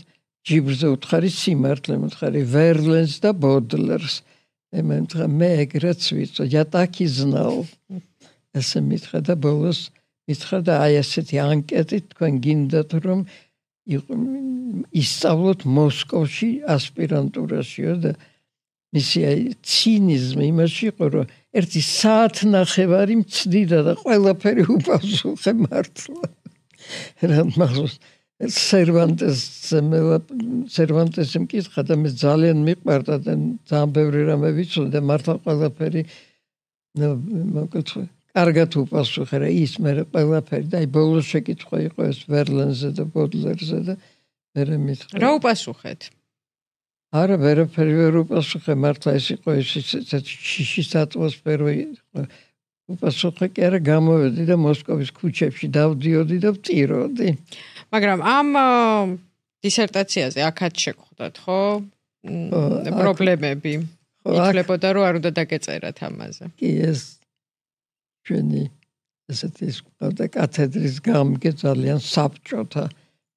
ჯიბრზე უთხარი სიმართლე, უთხარი ვერლენს და ბოდლერს. ემენთხა მე ეგრეც ვიცო, я так и знал. ესე მითხრა და ბოლოს მითხრა და აი ესეთი ანკეტი თქვენ გინდათ რომ ისწავლოთ მოსკოვში ასპირანტურაშიო და მისი აი ცინიზმი იმაში იყო რომ ერთი საათნახევარი მცდიდა და ყველაფერი უპასუხე მართლა. რა მახსოვს სერვანტესზე მე სერვანტესი მკითხა და მე ძალიან მიყვარდა და ძალიან ბევრი რამე ვიცოდი და მართლა ყველაფერი ნუ მოგწყვი კარგად უპასუხე რა ის მე ყველაფერი და აი ბოლოს შეკითხვა იყო ეს ვერლენზე და ბოდლერზე და მე მითხრა რა უპასუხეთ? არა ვერაფერი ვერ უპასუხე მართლა ეს იყო ეს შიშის ატმოსფერო იყო უპასუხე კი არა გამოვედი და მოსკოვის ქუჩებში დავდიოდი და ვწიროდი. მაგრამ ამ დისერტაციაზე აქაც შეგხვდათ, ხო? პრობლემები. ითვლებოდა რომ არ უნდა დაგეწერათ ამაზე. კი ეს ჩვენი ესეთი და კათედრის გამგე ძალიან საბჭოთა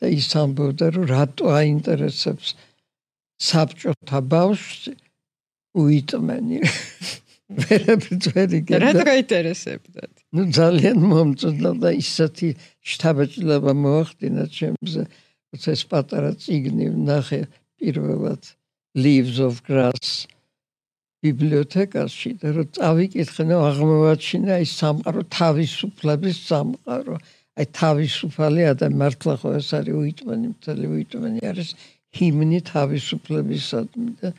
და ის ამბობდა რომ რატო აინტერესებს საბჭოთა ბავშვს უიტმენი. ვერაფერი რა გაინტერესებდათ? ნუ ძალიან მომწონდა და ისეთი შთაბეჭდილება მოახდინა ჩემზე, როცა ეს პატარა წიგნი ვნახე პირველად Leaves of Grass ბიბლიოთეკაში და რომ წავიკითხე, ნუ აღმოვაჩინა ის სამყარო თავისუფლების სამყარო. აი თავისუფალი ადამიანი მართლა ხო ეს არის უიტმენი, მთელი უიტმენი არის ჰიმნი თავისუფლებისადმი და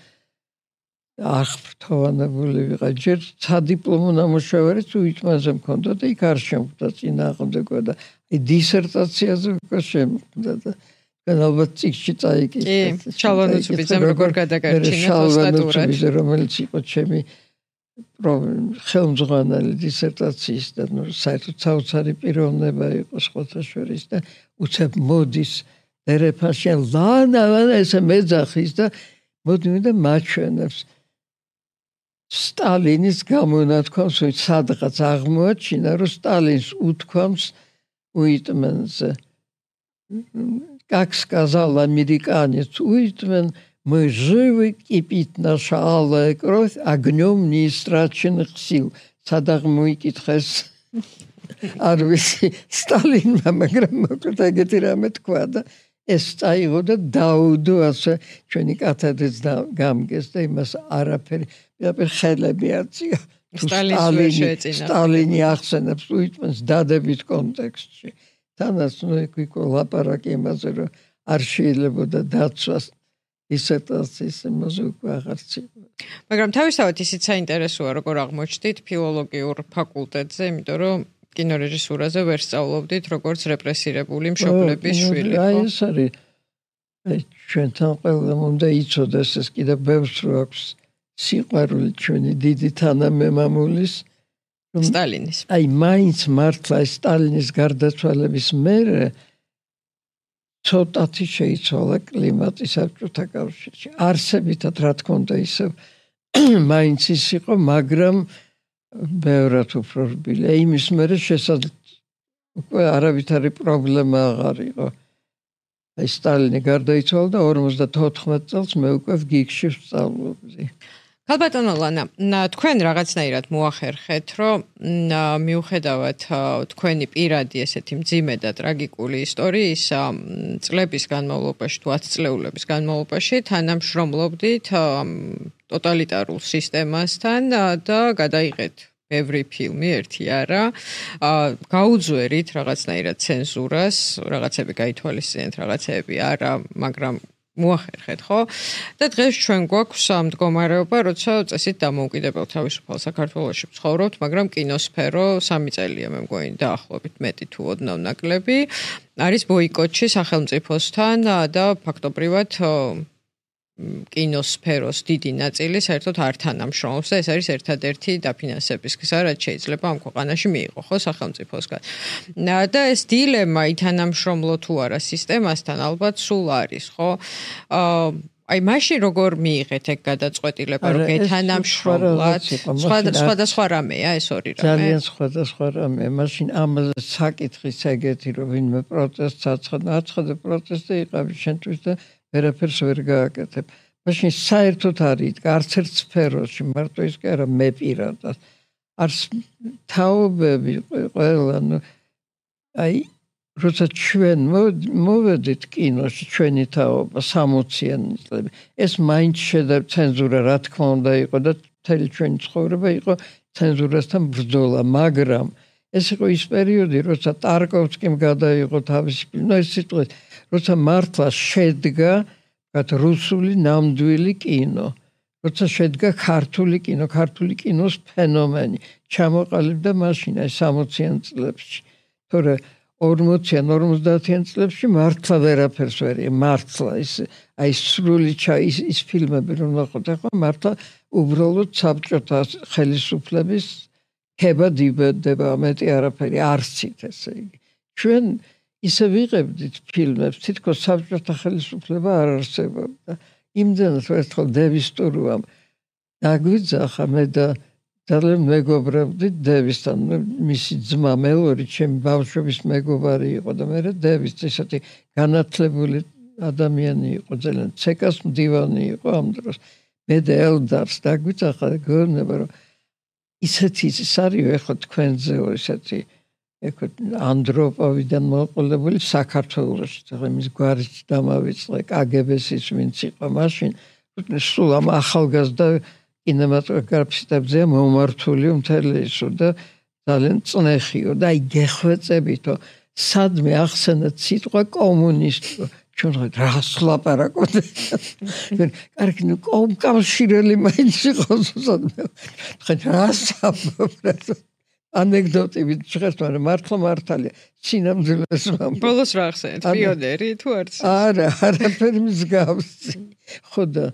აღფრთოვანებული ვიყავ. ჯერ სადიპლომო ნამუშევარიც უიტმენზე მქონდა და იქ არ შემხვდა წინააღმდეგობა და აი დისერტაციაზე უკვე შემხვდა და ალბათ წიგნში წაიკითხე. კი, შალვანუცუბიძემ როგორ გადაგარჩინა სტატურად, რომელიც იყო ჩემი ხელმძღვანელი დისერტაციის და ნუ საერთოდ საოცარი პიროვნება იყო სხვათა შორის და უცებ მოდის ერეფანში ლანა ლანა ესე მეძახის და მოდი და მაჩვენებს სტალინის გამონათქვამს, ვინც სადღაც აღმოაჩინა, რომ სტალინს უთქვამს უიტმენზე. Как сказал американец Уитмен, мы живы, кипит наша алая кровь огнем неистраченных сил. Садაღ მოიკითხეს არ ვიცი სტალინმა, მაგრამ მოკლედ ეგეთი რამე თქვა და ეს წაიღო და დაუდო ასე ჩვენი კათედრის გამგეს და იმას არაფერი ხელები აწია. სტალინი ახსენებს უიტმენს დადებით კონტექსტში. თანაც ნუ იქ ლაპარაკი იმაზე რომ არ შეიძლებოდა დაცვას დისერტაციის იმაზე უკვე აღარც იყო. მაგრამ თავისთავად ისიც საინტერესოა როგორ აღმოჩნდით ფილოლოგიურ ფაკულტეტზე, იმიტომ რომ კინორეჟისურაზე ვერ სწავლობდით როგორც რეპრესირებული მშობლების შვილი. აი ეს არის ჩვენთან ყველამ უნდა იცოდეს ეს კიდევ ბევრს რო აქვს სიყვარული ჩვენი დიდი თანამემამულის სტალინის. აი მაინც მართლა სტალინის გარდაცვალების მერე ცოტათი შეიცვალა კლიმატი საბჭოთა კავშირში. არსებითად რა თქმა უნდა ისევ მაინც ის იყო, მაგრამ ბევრად უფრო რბილი. იმის მერე შესაძლოა უკვე არავითარი პრობლემა აღარ იყო. აი სტალინი გარდაიცვალა და ორმოცდათოთხმეტ წელს მე უკვე გიგში ვსწავლობდი. ქალბატონო ლანა, თქვენ რაღაცნაირად მოახერხეთ, რომ მიუხედავად თქვენი პირადი ესეთი მძიმე და ტრაგიკული ისტორიის წლების განმავლობაში, თუ ათწლეულების განმავლობაში თანამშრომლობდით ტოტალიტარულ სისტემასთან და გადაიღეთ ბევრი ფილმი, ერთი არა. გაუძვერით რაღაცნაირად ცენზურას, რაღაცები გაითვალისწინეთ, რაღაცები არა, მაგრამ მოახერხეთ, ხო? და დღეს ჩვენ გვაქვს ამ მდგომარეობა, როცა წესით დამოუკიდებელ თავისუფალ საქართველოში ვცხოვრობთ, მაგრამ კინოსფერო სამი წელია მე მგონი დაახლოებით მეტი თუ ოდნავ ნაკლები არის ბოიკოტში სახელმწიფოსთან და ფაქტობრივად კინოსფეროს დიდი ნაწილი საერთოდ არ თანამშრომლობს და ეს არის ერთადერთი დაფინანსების გზა, რაც შეიძლება ამ ქვეყანაში მიიღო, ხო, სახელმწიფოსგან. და ეს დილემა ითანამშრომლო თუ არა სისტემასთან ალბათ სულ არის, ხო? აი მაშინ როგორ მიიღეთ ეგ გადაწყვეტილება, რომ გეთანამშრომლოთ? სხვადასხვა რამეა ეს ორი რამე? ძალიან სხვადასხვა რამეა. მაშინ ამაზე საკითხის ეგეთი, რომ ვინმე პროტესტს აცხადა, აცხადა პროტესტი იყავი შენთვის და ვერაფერს ვერ გააკეთებ. მაშინ საერთოდ არ იდგა არც ერთ სფეროში, მარტო ის კი არა, მე პირადად. არც თაობები ყველა, ნუ აი როცა ჩვენ მოვედით კინოში, ჩვენი თაობა სამოციანი წლები, ეს მაინც შედა ცენზურა, რა თქმა უნდა იყო და მთელი ჩვენი ცხოვრება იყო ცენზურასთან ბრძოლა, მაგრამ ეს იყო ის პერიოდი, როცა ტარკოვსკიმ გადაიღო თავისი ფილმი, ეს სიტყვით, როცა მართლა შედგა რუსული ნამდვილი კინო, როცა შედგა ქართული კინო, ქართული კინოს ფენომენი, ჩამოყალიბდა მაშინ აი სამოციან წლებში. თორე ორმოციან, ორმოცდაათიან წლებში მართლა ვერაფერს ვერ იყო, მართლა ის აი სრული ის ის ფილმები რომ ნახოთ, ახლა მართლა უბრალოდ საბჭოთა ხელისუფლების ქება დიბედება, მეტი არაფერი არცით ესე იგი. ჩვენ ისე ვიღებდით ფილმებს, თითქოს საბჭოთა ხელისუფლება არ არსებობდა. იმდენად ერთხელ დევის ტურუამ დაგვიძახა მე და ძალიან მეგობრებდით დევისთან, მისი ძმა მელორი ჩემი ბავშვობის მეგობარი იყო და მე დევის ისეთი განათლებული ადამიანი იყო, ძალიან ცეკას მდივანი იყო ამ დროს. მე და ელდარს დაგვიძახა და გეუბნება რომ ისეთი ის არის ეხლა თქვენზეო ისეთი ეხლა ანდროპოვიდან მოყოლებული საქართველოში, თქო იმის გვარიც დამავიწყე კაგებესის ვინც იყო მაშინ, სულ ამ ახალგაზრდა კინემატოგრაფისტებზე მომართული მთელი ისო და ძალიან წნეხიო და აი გეხვეწებითო სადმე ახსენეთ სიტყვა კომუნისტი ჩვენ რას ლაპარაკობთ? კარგი, ნუ კომკავშირელი მაინც იყოს სადმე. ხა რას ამბობთ? ანეკდოტები შეხეთ, მაგრამ მართლა მართალია. სინამდვილეს ვამბობ. ბოლოს რა ახსენეთ? პიონერი თუ არც? არა, არაფერი მსგავსი. ხო და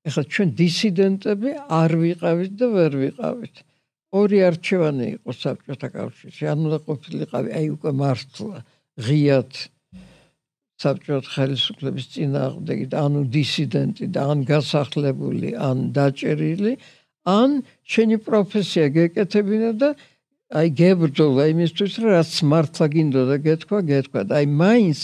ეხლა ჩვენ დისიდენტები არ ვიყავით და ვერ ვიყავით. ორი არჩევანი იყო საბჭოთა კავშირში. ან უნდა ყოფილიყავი აი უკვე მართლა ღიად საბჭოთა ხელისუფლების წინააღმდეგი და ანუ დისიდენტი და ან გასახლებული, ან დაჭერილი, ან შენი პროფესია გეკეთებინა და აი გებრძოლა იმისთვის, რომ რაც მართლა გინდოდა გეთქვა, გეთქვა. აი მაინც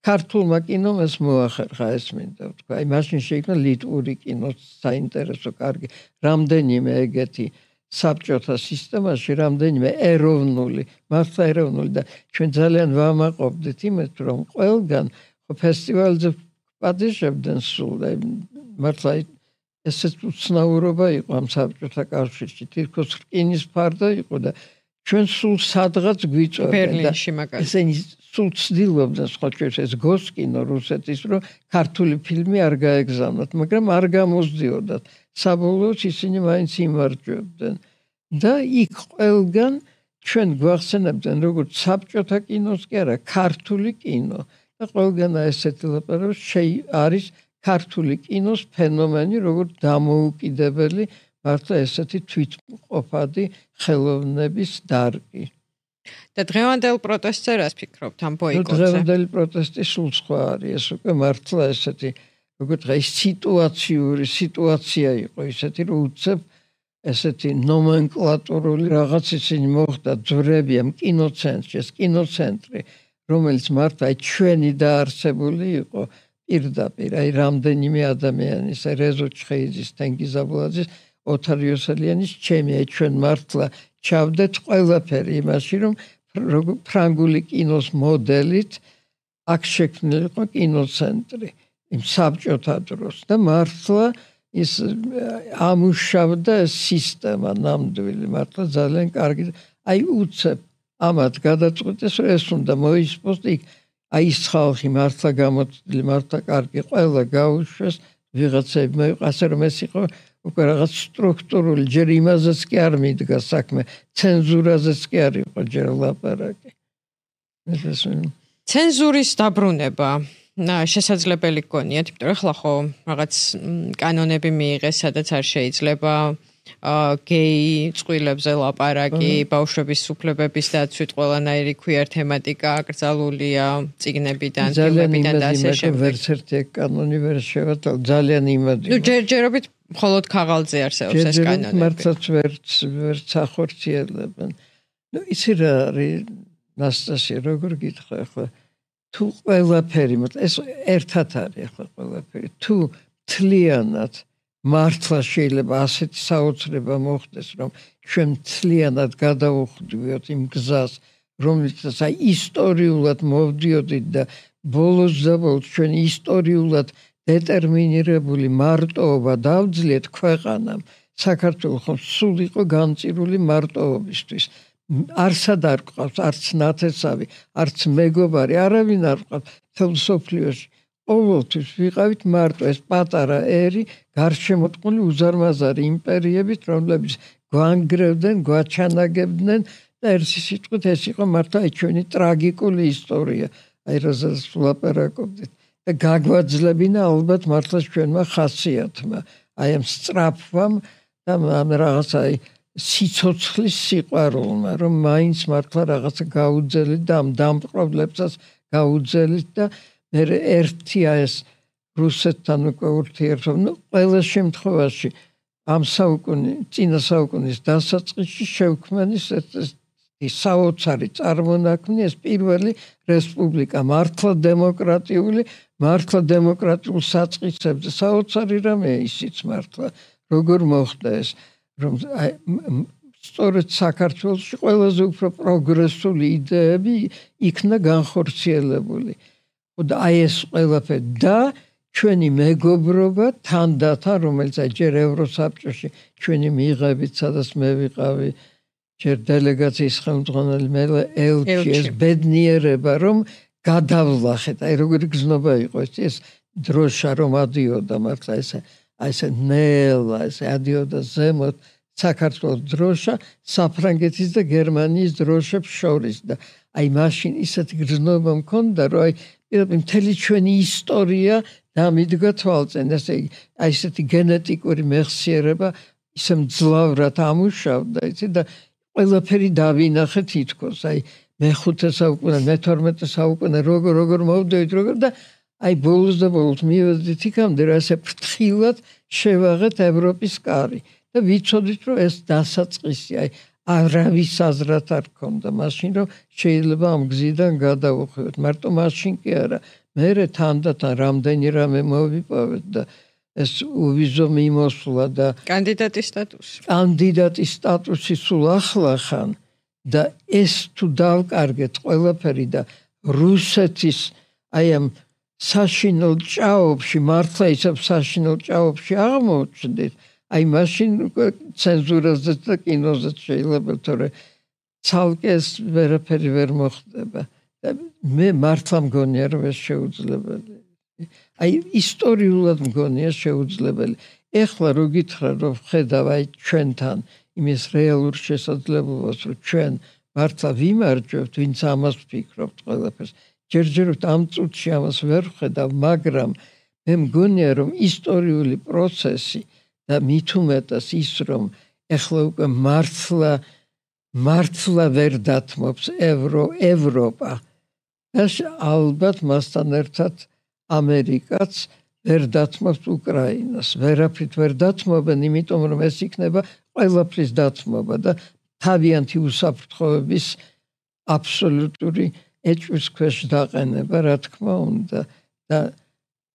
ქართულმა კინომ ეს მოახერხა, ეს მინდა ვთქვა. აი მაშინ შეიქმნა ლიტვური კინო, საინტერესო, კარგი, რამდენიმე ეგეთი საბჭოთა სისტემაში, რამდენიმე ეროვნული, მართლა ეროვნული და ჩვენ ძალიან ვამაყობდით იმით, რომ ყველგან ფესტივალზე პატიჟებდნენ სულ, მართლა ესეც უცნაურობა იყო ამ საბჭოთა კავშირში, თითქოს რკინის ფარდა იყო და ჩვენ სულ სადღაც გვიწევდნენ. ბერლინში მაგალითად. ესენი სულ ცდილობდნენ სხვა ჩვენს ეს გოსკინო რუსეთის, რომ ქართული ფილმი არ გაეგზავნათ, მაგრამ არ გამოსდიოდათ. საბოლოოდ ისინი მაინც იმარჯვებდნენ. და იქ ყველგან ჩვენ გვახსენებდნენ როგორც საბჭოთა კინოს კი არა, ქართული კინო. და ყველგან ესეთი ლაპარაკი შეი არის ქართული კინოს ფენომენი, როგორც დამოუკიდებელი მართლა ესეთი თვითმყოფადი ხელოვნების დარგი. და დღევანდელ პროტესტზე რას ფიქრობთ ამ ბოიკოტზე? დღევანდელი პროტესტი სულ სხვა არის, ეს უკვე მართლა ესეთი როგორც აი სიტუაციური სიტუაცია იყო, ისეთი რომ უცებ ესეთი ნომენკლატურული რაღაც ისინი მოხდა ძვრები ამ კინოცენტრში, ეს კინოცენტრი, რომელიც მართლა ჩვენი დაარსებული იყო პირდაპირ, აი რამდენიმე ადამიანის, რეზო ჩხეიძის, თენგიზ აბულაძის, ოთარ იოსელიანის, ჩემი, აი ჩვენ მართლა ჩავდეთ ყველაფერი იმაში, რომ ფრანგული კინოს მოდელით აქ შექმნილი იყო კინოცენტრი იმ საბჭოთა დროს და მართლა ის ამუშავდა სისტემა ნამდვილი, მართლა ძალიან კარგი. აი უცებ ამათ გადაწყვეტეს, რომ ეს უნდა მოისპოს იქ, აი ის ხალხი მართლა გამოცდილი, მართლა კარგი, ყველა გაუშვეს, ვიღაცები მოიყვა, ასე რომ ეს იყო უკვე რაღაც სტრუქტურული, ჯერ იმაზეც კი არ მიდგა საქმე, ცენზურაზეც კი არ იყო ჯერ ლაპარაკი. ცენზურის დაბრუნება შესაძლებელი გქონიათ, იმიტომ რომ ახლა ხო რაღაც კანონები მიიღეს, სადაც არ შეიძლება გეი წყვილებზე ლაპარაკი, ბავშვების უფლებების დაცვით ყველანაირი queer თემატიკა აკრძალულია წიგნებიდან, ფილმებიდან და ასე შემდეგ. ვერც ერთი კანონი ვერ შევატალ, ძალიან იმადი. ნუ ჯერჯერობით მხოლოდ ქაღალდზე არსებობს ეს კანონები. მართლაც ვერც ვერც ახორციელებენ. ნუ იცი რა არის ნასტასია, როგორ გითხრა ახლა თუ ყველაფერი, ეს ერთად არის ახლა ყველაფერი. თუ თლიანად მართლა შეიძლება ასეთი საოცრება მოხდეს, რომ ჩვენ თლიანად გადავუხდივით იმ გზას, რომელსაც აი ისტორიულად მოვდიოდით და ბოლოს და ბოლოს ჩვენ ისტორიულად დეტერმინირებული მარტოობა დავძლიეთ ქვეყანამ. საქართველო ხომ სულ იყო განწირული მარტოობისთვის. არსად არ ყავს, არც ნათესავი, არც მეგობარი, არავინ არ ყავს მთელ მსოფლიოში. ყოველთვის ვიყავით მარტო, ეს პატარა ერი გარშემოტყული უზარმაზარი იმპერიებით, რომლებიც გვანგრევდნენ, გვაჩანაგებდნენ და ერთი სიტყვით ეს იყო მართლა ჩვენი ტრაგიკული ისტორია, აი რაზეც ვლაპარაკობდით. და გაგვაძლებინა ალბათ მართლა ჩვენმა ხასიათმა, აი ამ სწრაფვამ და ამ რაღაცა სიცოცხლის სიყვარულმა, რომ მაინც მართლა რაღაცა გაუძელით და ამ დამპყრობლებსაც გაუძელით და მე ერთია ეს რუსეთთან უკვე ურთიერთობა, ნუ ყველა შემთხვევაში ამ საუკუნის, წინა საუკუნის დასაწყისში შევქმნის ეს საოცარი წარმონაქმნი, ეს პირველი რესპუბლიკა, მართლა დემოკრატიული, მართლა დემოკრატიულ საწყისებზე საოცარი რამეა ისიც მართლა, როგორ მოხდა ეს, რომ სწორედ საქართველოში ყველაზე უფრო პროგრესული იდეები იქნა განხორციელებული. და აი ეს ყველაფერი და ჩვენი მეგობრობა თანდათან, რომელიც ჯერ ევროსაბჭოში ჩვენი მიღებით, სადაც მე ვიყავი, ჯერ დელეგაციის ხელმძღვანელი, მე ელჩი, ეს ბედნიერება, რომ გადავლახეთ, აი როგორი გზნობა იყო ეს დროშა რომ ადიოდა მართლა ეს აი ეს ნელა, ეს ადიოდა ზემოთ საქართველოს დროშა საფრანგეთის და გერმანიის დროშებს შორის და აი მაშინ ისეთი გზნობა მქონდა, რომ აი მთელი ჩვენი ისტორია დამიდგა თვალწინ, ესე იგი, აი ესეთი გენეტიკური მეხსიერება ისე მძლავრად ამუშავდა, იცი და ყველაფერი დავინახე თითქოს, აი მეხუთე საუკუნე, მეთორმეტე საუკუნე როგორ როგორ მოვდივით, როგორ და აი ბოლოს და ბოლოს მივედით იქამდე, რომ ესე ფრთხილად შევაღეთ ევროპის კარი და ვიცოდით, რომ ეს დასაწყისი, აი არავის აზრად არ ქონდა მაშინ, რომ შეიძლება ამ გზიდან გადავუხვიოთ. მარტო მაშინ კი არა, მერე თანდათან რამდენი რამე მოვიპოვეთ და ეს უვიზო მიმოსვლა და კანდიდატის სტატუსი. კანდიდატის სტატუსი სულ ახლა ხან და ეს თუ დავკარგეთ ყველაფერი და რუსეთის აი ამ საშინელ ჭაობში, მართლა ისევ საშინელ ჭაობში აღმოჩნდით, აი მაშინ ცენზურაზეც და კინოზეც შეიძლება, თორე ცალკე ეს ვერაფერი ვერ მოხდება. და მე მართლა მგონია, რომ ეს შეუძლებელი. აი ისტორიულად მგონია შეუძლებელი. ეხლა რო გითხრა, რომ ხედავ აი ჩვენთან იმის რეალურ შესაძლებლობას, რომ ჩვენ მართლა ვიმარჯვებთ, ვინც ამას ვფიქრობთ ყველაფერს. ჯერჯერობით ამ წუთში ამას ვერ ვხედავ, მაგრამ მე მგონია, რომ ისტორიული პროცესი და მით უმეტეს ის, რომ ეხლა უკვე მართლა მართლა ვერ დათმობს ევრო ევროპა. და ალბათ მასთან ერთად ამერიკაც ვერ დათმობს უკრაინას. ვერაფრით ვერ დათმობენ, იმიტომ რომ ეს იქნება ყველაფრის დათმობა და თავიანთი უსაფრთხოების აბსოლუტური ეჭვის ქვეშ დაყენება, რა თქმა უნდა და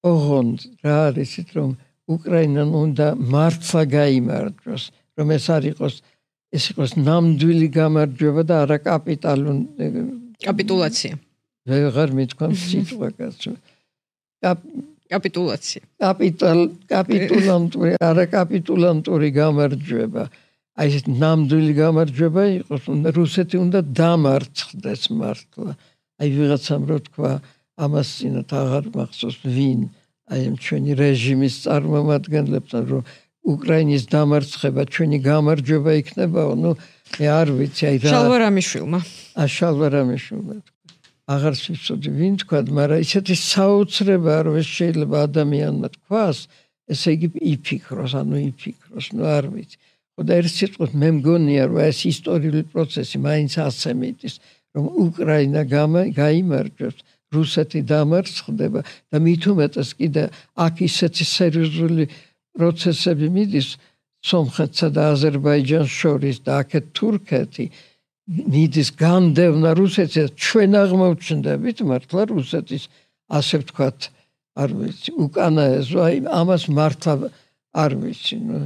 ოღონდ რა არის ის რომ უკრაინამ უნდა მართლა გაიმარჯვოს, რომ ეს არ იყოს ეს იყოს ნამდვილი გამარჯვება და არა კაპიტალურ კაპიტულაცია. ვეღარ მithქვამ სიტყვა კაცო. კაპიტულაცია. კაპიტალ კაპიტულანტური არა კაპიტულანტური გამარჯვება. აი ეს ნამდვილი გამარჯვება იყოს, უნდა რუსეთი უნდა დამარცხდეს მართლა. აი ვიღაცამ რო თქვა ამას წინათ აღარ მახსოვს ვინ აი ამ ჩვენი რეჟიმის წარმომადგენლებთან რომ უკრაინის დამარცხება ჩვენი გამარჯვება იქნებაო, ნუ მე არ ვიცი აი რა შალვარამიშვილმა. ა შალვარამიშვილმა აღარ ვიცოდი ვინ თქვა, მაგრამ ისეთი საოცრება რომ ეს შეიძლება ადამიანმა თქვას, ესე იგი იფიქროს, ანუ იფიქროს, ნუ არ ვიცი. და ერთ სიტყვით მე მგონია რომ ეს ისტორიული პროცესი მაინც ასე მიდის, რომ უკრაინა გაიმარჯვებს, რუსეთი დამარცხდება და მით უმეტეს კიდე აქ ისეთი სერიოზული პროცესები მიდის სომხეთსა და აზერბაიჯანს შორის და აქეთ თურქეთი მიდის განდევნა რუსეთს, ჩვენ აღმოჩნდებით მართლა რუსეთის ასე ვთქვათ, არ ვიცი, უკანაესო, აი ამას მართლა არ ვიცი, ნუ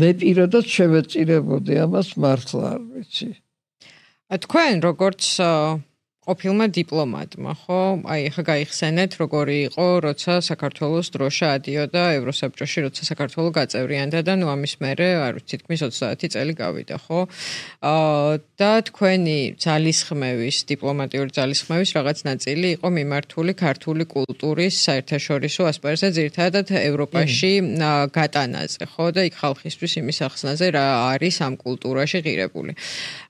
მე პირადად შევეწირებოდი ამას მართლა არ ვიცი. თქვენ როგორც ყოფილმა დიპლომატმა, ხო? აი ხა გაიხსენეთ, როგორი იყო, როცა საქართველოს დროშა ადიოდა ევროსაბჭოში, როცა საქართველო გაწევრიანდა და ნუ ამის მერე, არ ვიცი, თითქმის ოცდაათი წელი გავიდა, ხო? აა და თქვენი ძალისხმევის, დიპლომატიური ძალისხმევის რაღაც ნაწილი იყო მიმართული ქართული კულტურის საერთაშორისო ასპარეზზე, ძირითადად ევროპაში გატანაზე, ხო? და იქ ხალხისთვის იმის ახსნაზე რა არის ამ კულტურაში ღირებული.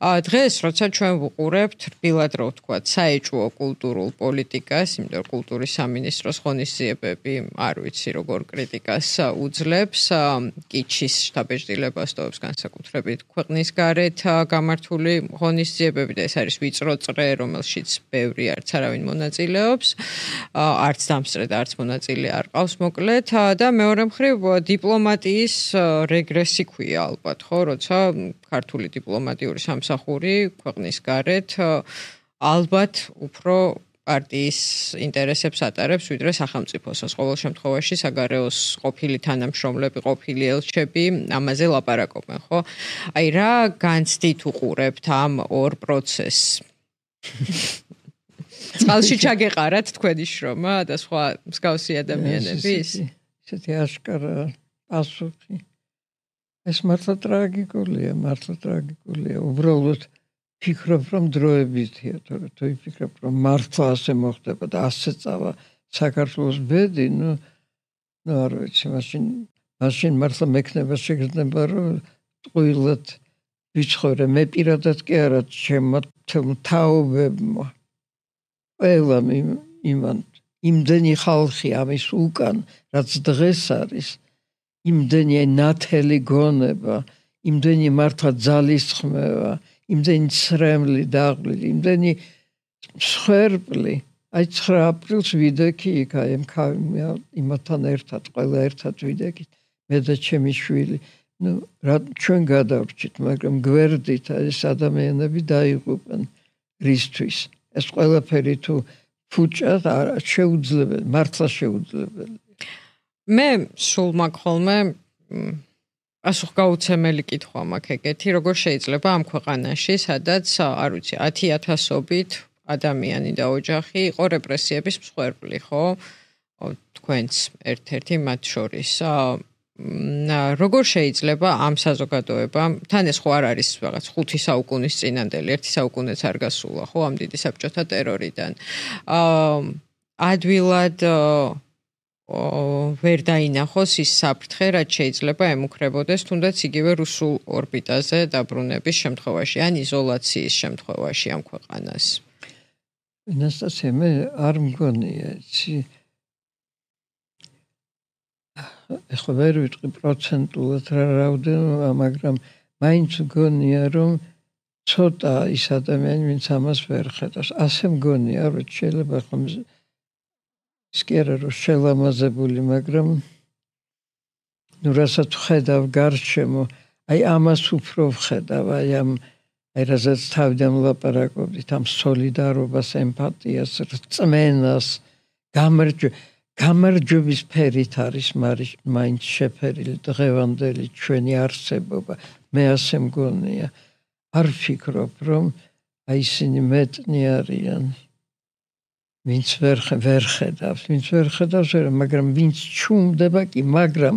აა დღეს, როცა ჩვენ ვუყურებთ, რბილად რო ვთქვათ, საეჭვო კულტურულ პოლიტიკას, იმიტომ რომ კულტურის სამინისტროს ღონისძიებები, არ ვიცი როგორ კრიტიკას უძლებს, კიჩის შთაბეჭდილებას ტოვებს განსაკუთრებით ქვეყნის გარეთ გამართული ღონისძიებები და ეს არის ვიწრო წრე, რომელშიც ბევრი არც არავინ მონაწილეობს, არც დამსწრე და არც მონაწილე არ ყავს მოკლედ და მეორე მხრივ დიპლომატიის რეგრესი ქვია ალბათ, ხო, როცა ქართული დიპლომატიური სამსახური ქვეყნის გარეთ ალბათ უფრო პარტიის ინტერესებს ატარებს, ვიდრე სახელმწიფოსოს. ყოველ შემთხვევაში საგარეოს ყოფილი თანამშრომლები, ყოფილი ელჩები ამაზე ლაპარაკობენ, ხო? აი რა განცდით უყურებთ ამ ორ პროცესს? წყალში ჩაგეყარათ თქვენი შრომა და სხვა მსგავსი ადამიანების? ისეთი აშკარა პასუხი. ეს მართლა ტრაგიკულია, მართლა ტრაგიკულია. უბრალოდ ფიქრობ რომ დროებითია, თორე თუ იფიქრებ რომ მართლა ასე მოხდება და ასე წავა საქართველოს ბედი, ნუ ნუ არ ვიცი, მაშინ მაშინ მართლა მექნება შეგრძნება რომ ტყუილად ვიცხოვრე, მე პირადად კი არა, ჩემმა თაობებმა ყველა იმან იმდენი ხალხი ამის უკან, რაც დღეს არის, იმდენი ნათელი გონება, იმდენი მართლა ძალისხმევა, იმდენი ცრემლი დაღლილი, იმდენი მსხვერპლი. აი ცხრა აპრილს ვიდექი იქ აი იმათთან ერთად, ყველა ერთად ვიდექით, მე და ჩემი შვილი. ნუ რა ჩვენ გადავრჩით, მაგრამ გვერდით ეს ადამიანები დაიღუპენ რისთვის. ეს ყველაფერი თუ ფუჭად არ შეუძლებელი, მართლა შეუძლებელი. მე სულ მაგ ხოლმე პასუხგაუცემელი კითხვა მაქვს ეგეთი, როგორ შეიძლება ამ ქვეყანაში, სადაც, არ ვიცი, ათი ათასობით ადამიანი და ოჯახი იყო რეპრესიების მსხვერპლი, ხო? თქვენც ერთ-ერთი მათ შორის. როგორ შეიძლება ამ საზოგადოებამ, თან ეს ხო არ არის რაღაც ხუთი საუკუნის წინანდელი, ერთი საუკუნეც არ გასულა, ხო, ამ დიდი საბჭოთა ტერორიდან. ადვილად ვერ დაინახოს ის საფრთხე, რაც შეიძლება ემუქრებოდეს თუნდაც იგივე რუსულ ორბიტაზე დაბრუნების შემთხვევაში, ან იზოლაციის შემთხვევაში ამ ქვეყანას. ნასტასია, მე არ მგონია, იცი. ეხლა ვერ ვიტყვი პროცენტულად რა რაოდენობა, მაგრამ მაინც მგონია, რომ ცოტა ის ადამიანი, ვინც ამას ვერ ხედავს. ასე მგონია, რომ შეიძლება ხომ ის კი არა რომ შელამაზებული, მაგრამ ნუ რასაც ხედავ გარშემო, აი ამას უფრო ვხედავ, აი ამ აი რასაც თავიდან ვლაპარაკობდით, ამ სოლიდარობას, ემპათიას, რწმენას, გამარჯვებას გამარჯვების ფერით არის მაინც შეფერილი დღევანდელი ჩვენი არსებობა. მე ასე მგონია. არ ვფიქრობ, რომ აი ისინი მეტნი არიან. ვინც ვერ ვერ ხედავს, ვინც ვერ ხედავს, მაგრამ ვინც ჩუმდება კი, მაგრამ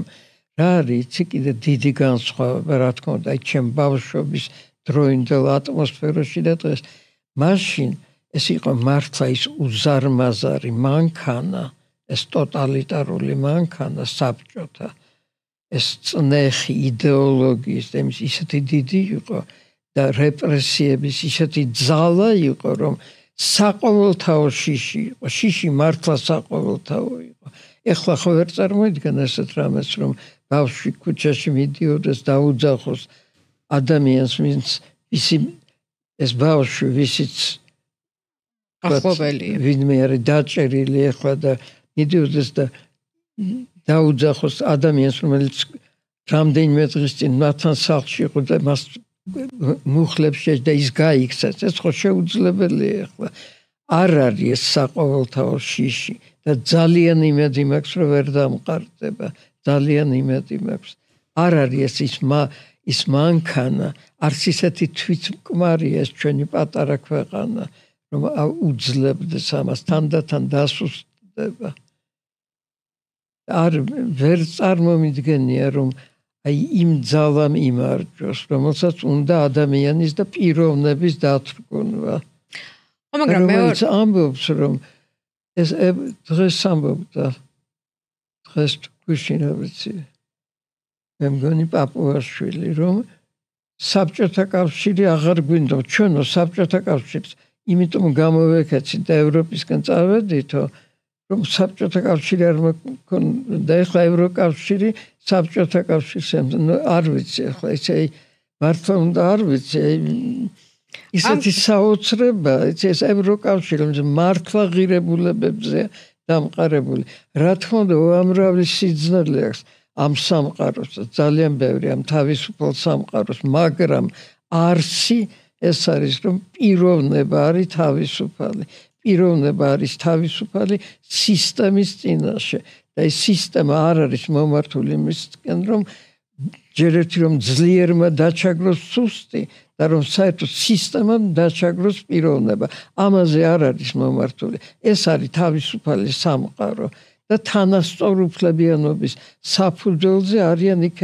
რა არის, იცი კიდე დიდი განსხვავება, რა თქმა უნდა, აი ჩემ ბავშვობის დროინდელ ატმოსფეროში და დღეს. მაშინ ეს იყო მართლა ის უზარმაზარი მანქანა, ეს ტოტალიტარული მანქანა საბჭოთა, ეს წნეხი იდეოლოგიის, იმის ისეთი დიდი იყო და რეპრესიების ისეთი ძალა იყო, რომ საყოველთაო შიში იყო, შიში მართლა საყოველთაო იყო. ეხლა ხო ვერ წარმოიდგენ ესეთ რამეს, რომ ბავშვი ქუჩაში მიდიოდეს დაუძახოს ადამიანს, ვინც ისი ეს ბავშვი ვისიც ახლობელია, ვინმე არის დაჭერილი ეხლა და მიდიოდეს და დაუძახოს ადამიანს, რომელიც რამდენიმე დღის წინ მათთან სახლში იყო და მას მუხლებს შეჭ და ის გაიქცეს. ეს ხო შეუძლებელია ეხლა. არ არის ეს საყოველთაო შიში და ძალიან იმედი მაქვს, რომ ვერ დამყარდება. ძალიან იმედი მაქვს. არ არის ეს ის ის მანქანა, არც ისეთი თვითმკმარია ეს ჩვენი პატარა ქვეყანა, რომ უძლებდეს ამას, თანდათან დასუსტდება. არ ვერ წარმომიდგენია, რომ აი იმ ძალამ იმარჯვოს, რომელსაც უნდა ადამიანის და პიროვნების დათრგუნვა. მაგრამ მე ამბობს, რომ ეს დღეს ამბობდა, დღეს გუშინა ვიცი, მე მგონი პაპუაშვილი, რომ საბჭოთა კავშირი აღარ გვინდა, ჩვენო საბჭოთა კავშირს, იმიტომ გამოვეკეცით და ევროპისკენ წავედითო, რომ საბჭოთა კავშირი არ მქონდა, ეხლა ევროკავშირი საბჭოთა კავშირს არ ვიცი, ეხლა ისე მართლა უნდა არ ვიცი, ისეთი საოცრება, ეს ევროკავშირი მართლა ღირებულებებზე დამყარებული. რა თქმა უნდა, უამრავი სიძნელე აქვს ამ სამყაროს, ძალიან ბევრი ამ თავისუფალ სამყაროს, მაგრამ არსი ეს არის, რომ პიროვნება არის თავისუფალი. პიროვნება არის თავისუფალი სისტემის წინაშე და ეს სისტემა არ არის მომართული იმისკენ, რომ ჯერ ერთი რომ ძლიერმა დაჩაგროს სუსტი და რომ საერთოდ სისტემამ დაჩაგროს პიროვნება. ამაზე არ არის მომართული. ეს არის თავისუფალი სამყარო და თანასწორუფლებიანობის საფუძველზე არიან იქ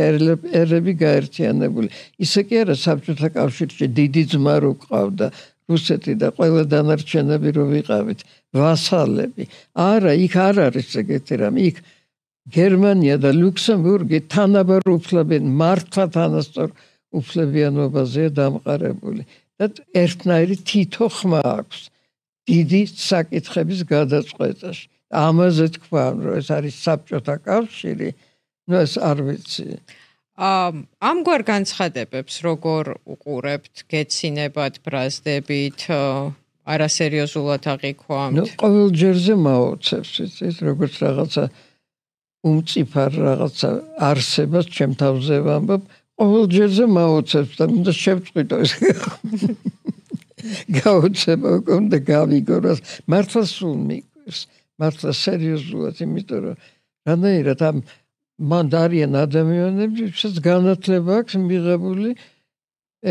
ერები გაერთიანებული. ისე კი არა, საბჭოთა კავშირში დიდი ძმა რო ყავდა რუსეთი და ყველა დანარჩენები რო ვიყავით ვასალები. არა, იქ არ არის ეგეთი რამე. იქ გერმანია და ლუქსემბურგი თანაბარ უფლებენ, მართლა თანასწორ უფლებიანობაზეა დამყარებული. და ერთნაირი თითო ხმა აქვს დიდი საკითხების გადაწყვეტაში. ამაზე თქვა, რომ ეს არის საბჭოთა კავშირი, ნუ ეს არ ვიცი. ამგვარ განცხადებებს როგორ უყურებთ, გეცინებათ, ბრაზდებით, არასერიოზულად აღიქვამთ? ნუ ყოველ ჯერზე მაოცებს, იცით, როგორც რაღაცა უმწიფარ რაღაცა არსებას ჩემ თავზე ვამბობ, ყოველ ჯერზე მაოცებს და უნდა შევწყვიტო ეს. გაოცება უნდა გავიგო, რომ მართლა სულ მიგვირს. მართლა სერიოზულად, იმიტომ რომ რანაირად ამ მან არიან ადამიანები, ვისაც განათლება აქვს მიღებული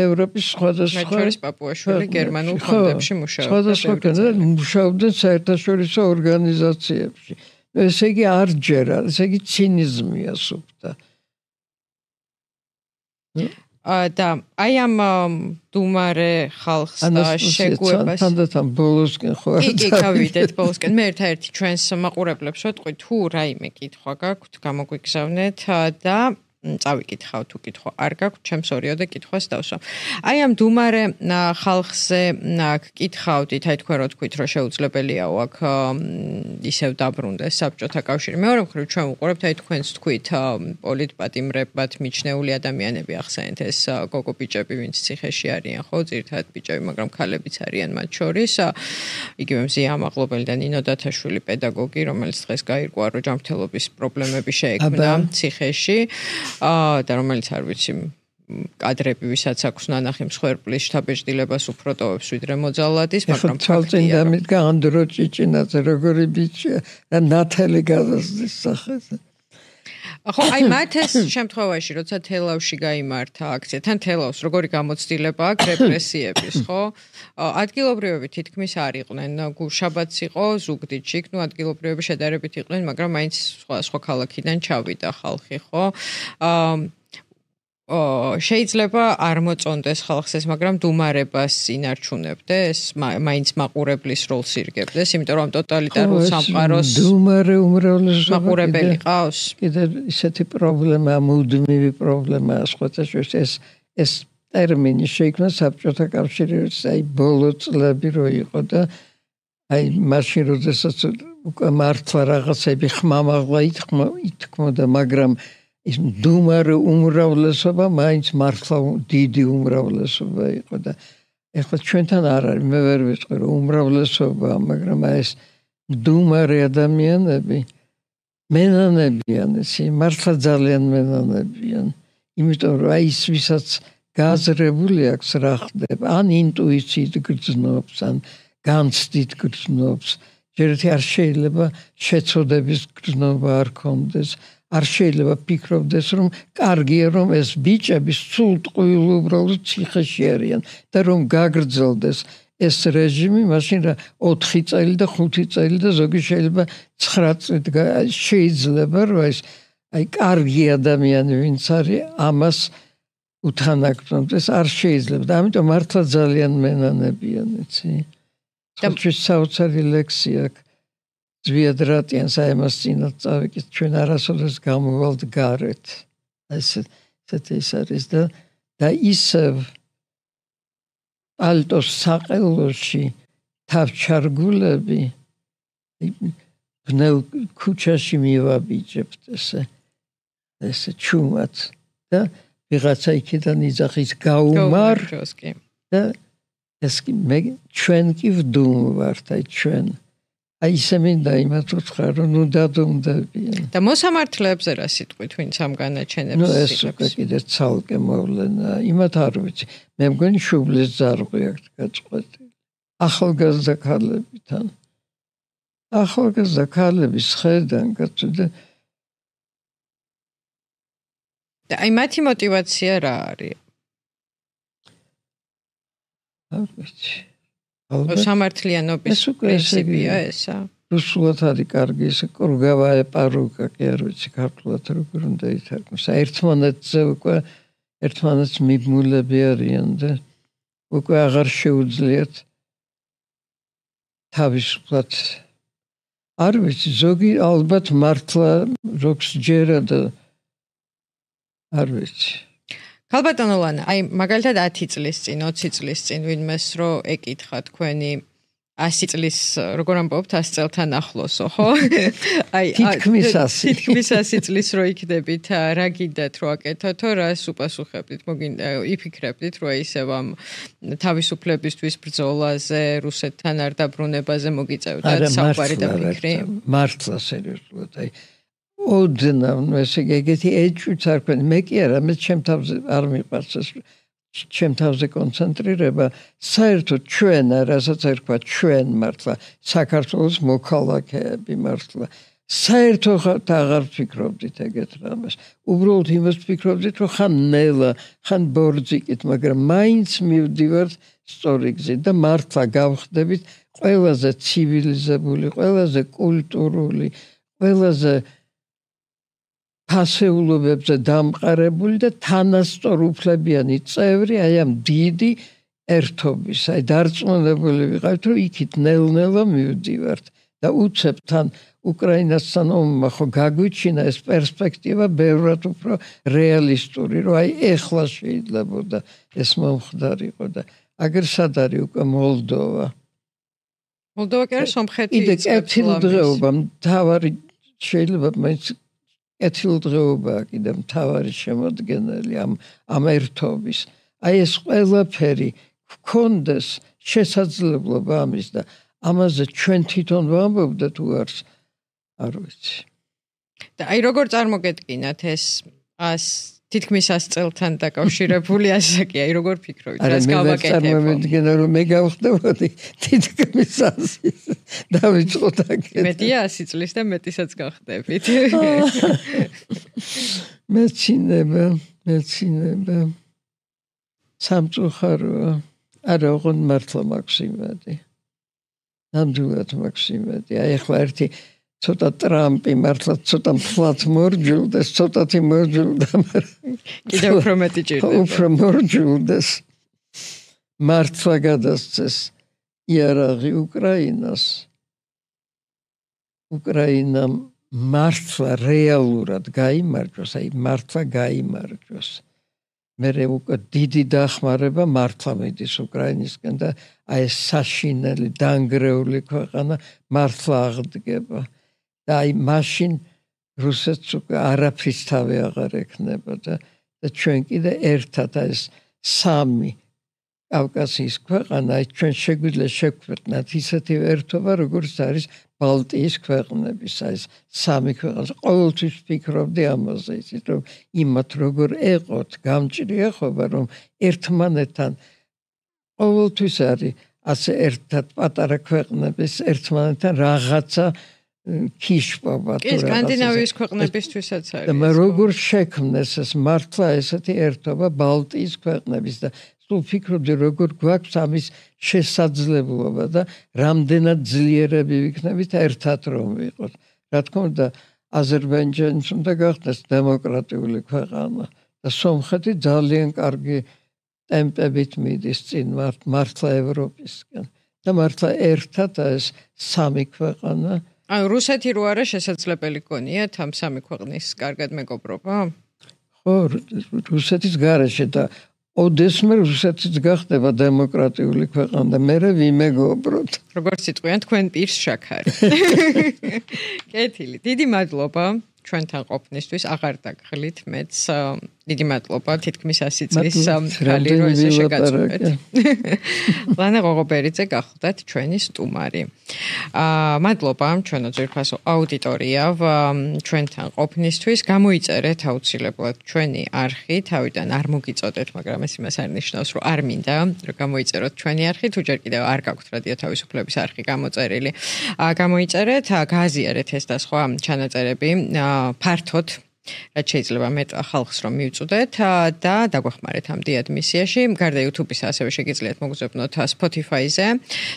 ევროპის სხვადასხვა მეჩვერის პაპუაშვილი გერმანულ ფონდებში მუშაობდა. სხვადასხვა მუშაობდნენ საერთაშორისო ორგანიზაციებში. ესე იგი არ ჯერა, ესე იგი ცინიზმია სუფთა. და აი ამ დუმარე ხალხს და შეგუებას თანდათან ბოლოსკენ ხო კი კი გავიდეთ ბოლოსკენ. მე ერთ-ერთი ჩვენს მაყურებლებს ვეთყვი, თუ რაიმე კითხვა გაქვთ, გამოგვიგზავნეთ და წავიკითხავ, თუ კითხვა არ გაქვთ, ჩემს ორიოდე კითხვას დავსვა. აი ამ დუმარე ხალხზე გკითხავდით, აი თქვენ რო თქვით, რომ შეუძლებელიაო აქ ისევ დაბრუნდეს საბჭოთა კავშირი. მეორე მხრივ ჩვენ ვუყურებთ, აი თქვენს თქვით, პოლიტპატიმრებად მიჩნეული ადამიანები ახსენეთ, ეს გოგო ბიჭები, ვინც ციხეში არიან, ხო, ძირითადად ბიჭები, მაგრამ ქალებიც არიან მათ შორის. იგივე მზია ამაღლობელი და ნინო დათაშვილი პედაგოგი, რომელიც დღეს გაირკვა, რომ ჯანმრთელობის პრობლემები შეექმნა ციხეში. და რომელიც არ ვიცი კადრები, ვისაც აქვს ნანახი მსხვერპლის შთაბეჭდილებას უფრო ტოვებს ვიდრე მოძალადის, მაგრამ თვალწინ დამიდგა ანდრო ჭიჭინაძე როგორი ბიჭია და ნათელი გადასდის სახეზე. ხო, აი მათ ეს შემთხვევაში, როცა თელავში გაიმართა აქცია, თან თელავს როგორი გამოცდილება აქვს რეპრესიების, ხო? ადგილობრივები თითქმის არ იყვნენ. გუშაბათს იყო ზუგდიდში, ნუ ადგილობრივები შედარებით იყვნენ, მაგრამ მაინც სხვა სხვა ქალაქიდან ჩავიდა ხალხი, ხო? აა შეიძლება არ მოწონდეს ხალხს ეს, მაგრამ დუმარებას ინარჩუნებდეს, მაინც მაყურებლის როლს ირგებდეს, იმიტომ რომ ტოტალიტარულ სამყაროს დუმარე უმრავლესობა მაყურებელი ყავს. კიდე ისეთი პრობლემა, მუდმივი პრობლემა, სხვათაშორის ეს ეს ტერმინი შეიქმნა საბჭოთა კავშირის აი ბოლო წლები რო იყო და აი მაშინ როდესაც უკვე მართლა რაღაცები ხმამაღლა ითქმოდა, მაგრამ ის დუმარე უმრავლესობა მაინც მართლა დიდი უმრავლესობა იყო და ეხლა ჩვენთან არ არის, მე ვერ ვიტყვი რომ უმრავლესობა, მაგრამ ეს დუმარე ადამიანები მენანებიან, ისე მართლა ძალიან მენანებიან, იმიტომ რომ აი ის ვისაც გაზრებული აქვს რა ხდება, ან ინტუიციით გრძნობს, ან განცდით გრძნობს, ჯერეთი არ შეიძლება შეცოდების გრძნობა არ ქონდეს. არ შეიძლება ფიქრობდეს რომ კარგია რომ ეს ბიჭები სულ ტყუილ უბრალოდ ციხეში არიან და რომ გაგრძელდეს ეს რეჟიმი, მაშინ რა ოთხი წელი და ხუთი წელი და ზოგი შეიძლება ცხრა წელი შეიძლება რომ ეს აი კარგი ადამიანი ვინც არის ამას უთანაგრძნოს, არ შეიძლება და ამიტომ მართლა ძალიან მენანებიან, იცი. ხალხის საოცარი ლექსია აქვს ზვიადრატიანს აემას წინათ წავიკით, ჩვენ არასოდეს გამოვალთ გარეთ. ესეთი ის არის და და ისევ პალტოს საყელოში თავჩარგულები ბნელ ქუჩაში მივაბიჯებთ ესე ესე ჩუმად და ვიღაცა იქიდან იძახის გაუმარ და ეს მე ჩვენ კი ვდუმვართ, აი ჩვენ აი ისე მინდა იმათ ვთქვა რომ ნუ დადუმდებიან და მოსამართლეებზე რა სიტყვით ვინც ამ განაჩენებს ნუ ეს უკვე კიდე ცალკე მოვლენა იმათ არ ვიცი მე მგონი შუბლის ძარღვი აქვს გაწყვეტილი ახალგაზრდა ქალებთან ახალგაზრდა ქალების ხედან გაწყვეტილი და აი მათი мотиваცია რა არის არ ვიცი სამართლიანობის პრინციპია ესა. რუსულად არის კარგი ეს კრუგავაე პარუკა კი არ ვიცი ქართულად როგორ უნდა ითარგმნოს. ერთმანეთზე უკვე ერთმანეთს მიბმულები არიან და უკვე აღარ შეუძლიათ თავისუფლად არ ვიცი ზოგი ალბათ მართლა როქს ჯერა და არ ვიცი ქალბატონო ლანა, აი მაგალითად ათი წლის წინ, ოცი წლის წინ ვინმეს რო ეკითხა თქვენი ასი წლის როგორ ამბობთ ასი წელთან ახლოსო, ხო? აი თითქმის ასი თითქმის ასი წლის რო იქნებით, რა გინდათ რო აკეთოთო, რას უპასუხებდით? მოგინდა იფიქრებდით რო ისევ ამ თავისუფლებისთვის ბრძოლაზე, რუსეთთან არ დაბრუნებაზე მოგიწევდათ საუბარი და ფიქრი? მართლა სერიოზულად, აი ოდნავ ესე ეგეთი ეჭვიც არ ქონი მე კი არა მე ჩემ თავზე არ მიყვარს ეს ჩემ თავზე კონცენტრირება საერთოდ ჩვენ რასაც ერქვა ჩვენ მართლა საქართველოს მოქალაქეები მართლა საერთოდ აღარ ვფიქრობდით ეგეთ რამეს უბრალოდ იმას ვფიქრობდით რომ ხან ნელა ხან ბორძიკით მაგრამ მაინც მივდივართ სწორი გზით და მართლა გავხდებით ყველაზე ცივილიზებული ყველაზე კულტურული ყველაზე ფასეულობებზე დამყარებული და თანასწორუფლებიანი წევრი აი ამ დიდი ერთობის, აი დარწმუნებული ვიყავით, რომ იქით ნელ-ნელა მივდივართ და უცებთან უკრაინასთან ომმა ხო გაგვიჩინა ეს პერსპექტივა ბევრად უფრო რეალისტური, რომ აი ეხლა შეიძლებოდა ეს მომხდარიყო და აგერ სად არის უკვე მოლდოვა. მოლდოვა კი არის სომხეთი. კიდე კეთილდღეობა მთავარი შეიძლება მაინც კეთილდღეობაა კიდე მთავარი შემოდგენელი ამ ამ ერთობის. აი ეს ყველაფერი გქონდეს შესაძლებლობა ამის და ამაზე ჩვენ თვითონ ვამბობდეთ თუ არს არ ვიცი. და აი როგორ წარმოგედგინათ ეს ას თითქმის ას წელთან დაკავშირებული ასაკი, აი როგორ ფიქრობთ, რას გავაკეთებ? არა, მე წარმოვიდგენ, რომ მე გავხდებოდი თითქმის ასი დავიწყოთ აქეთ. მეტია ასი წლის და მეტისაც გავხდებით. მეცინება, მეცინება. სამწუხაროა. არა, ოღონდ მართლა მაქვს იმედი. ნამდვილად მაქვს იმედი. აი ახლა ერთი ცოტა ტრამპი მართლა ცოტა ფლათ მორჯულდეს, ცოტათი მორჯულდა, მაგრამ კიდევ უფრო მეტი ჭირდება. უფრო მორჯულდეს. მართლა გადასცეს იარაღი უკრაინას. უკრაინამ მართლა რეალურად გაიმარჯვოს, აი მართლა გაიმარჯვოს. მერე უკვე დიდი დახმარება მართლა მიდის უკრაინისკენ და აი საშინელი დანგრეული ქვეყანა მართლა აღდგება. და აი მაშინ რუსეთს უკვე არაფრის თავი აღარ ექნება და და ჩვენ კიდე ერთად ეს სამი კავკასიის ქვეყანა აი ჩვენ შეგვიძლია შევქმნათ ისეთი ერთობა როგორც არის ბალტიის ქვეყნების აი სამი ქვეყანა. ყოველთვის ფიქრობდი ამაზე, ისიც რომ იმათ როგორ ეყოთ, გამჭრია ხობა რომ ერთმანეთთან ყოველთვის არის ასე ერთად პატარა ქვეყნების ერთმანეთთან რაღაცა ქიშპობა თუ რაღაცა. კი, სკანდინავიის ქვეყნებისთვისაც არის. და როგორ შექმნეს ეს მართლა ესეთი ერთობა ბალტიის ქვეყნების და სულ ფიქრობდი როგორ გვაქვს ამის შესაძლებლობა და რამდენად ძლიერები ვიქნებით ერთად რომ ვიყოთ. რა თქმა უნდა, აზერბაიჯანიც უნდა გახდეს დემოკრატიული ქვეყანა და სომხეთი ძალიან კარგი ტემპებით მიდის წინ მართლა ევროპისკენ და მართლა ერთად ეს სამი ქვეყანა. ანუ რუსეთი რო არა შესაძლებელი გონიათ ამ სამი ქვეყნის კარგად მეგობრობა? ხო, რუსეთის გარეშე და ოდესმე რუსეთიც გახდება დემოკრატიული ქვეყანა და მე ვიმეგობროთ. როგორც იტყვიან თქვენ პირს შაქარი. კეთილი, დიდი მადლობა ჩვენთან ყოფნისთვის, აღარ დაგხლით მეც. დიდი მადლობა თითქმის ასი წლის ხალი რო ესე შეგაწყვეტ. ლანა ღოღობერიძე გახლდათ ჩვენი სტუმარი. აა მადლობა ჩვენო ძვირფასო აუდიტორია ჩვენთან ყოფნისთვის. გამოიწერეთ აუცილებლად ჩვენი არხი, თავიდან არ მოგიწოდეთ, მაგრამ ეს იმას არ ნიშნავს, რომ არ მინდა რომ გამოიწეროთ ჩვენი არხი, თუ ჯერ კიდევ არ გაქვთ რადიო თავისუფლების არხი გამოწერილი. აა გამოიწერეთ, გააზიარეთ ეს და სხვა ჩანაწერები ფართოდ, რაც შეიძლება მეტ ხალხს რომ მივწოდეთ და დაგვეხმარეთ ამ დიად მისიაში. გარდა YouTube-ისა ასევე შეგიძლიათ მოგზაურობთ Spotify-ზე,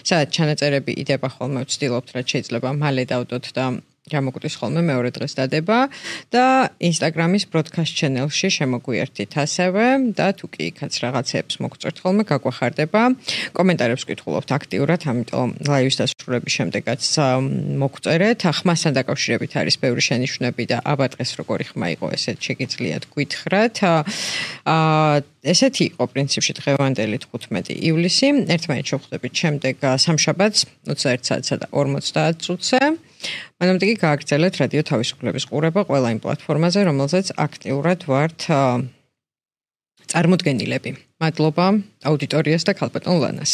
სადაც ჩანაწერები იდება ხოლმე, ვცდილობთ რაც შეიძლება მალე დავდოთ და გამოგვდის ხოლმე მეორე დღეს დადება და Instagram-ის broadcast channel-ში შემოგვიერთით ასევე და თუ კი იქაც რაღაცებს მოგწევთ ხოლმე გაგვახარდება. კომენტარებს ვკითხულობთ აქტიურად, ამიტომ live-ის დასრულების შემდეგაც მოგწერეთ. ხმასთან დაკავშირებით არის ბევრი შენიშვნები და აბა დღეს როგორი ხმა იყო, ესეთ შეგიძლიათ გითხრათ. აა ესეთი იყო პრინციპში დღევანდელი თხუთმეტი ივლისი. ერთმანეთს შევხვდებით შემდეგ სამშაბათს ოცდაერთ საათსა და ორმოცდაათ წუთზე. მანამდე კი გააგრძელეთ რადიო თავისუფლების ყურება ყველა იმ პლატფორმაზე, რომელზეც აქტიურად ვართ წარმოდგენილები. მადლობა აუდიტორიას და ქალბატონ ლანას.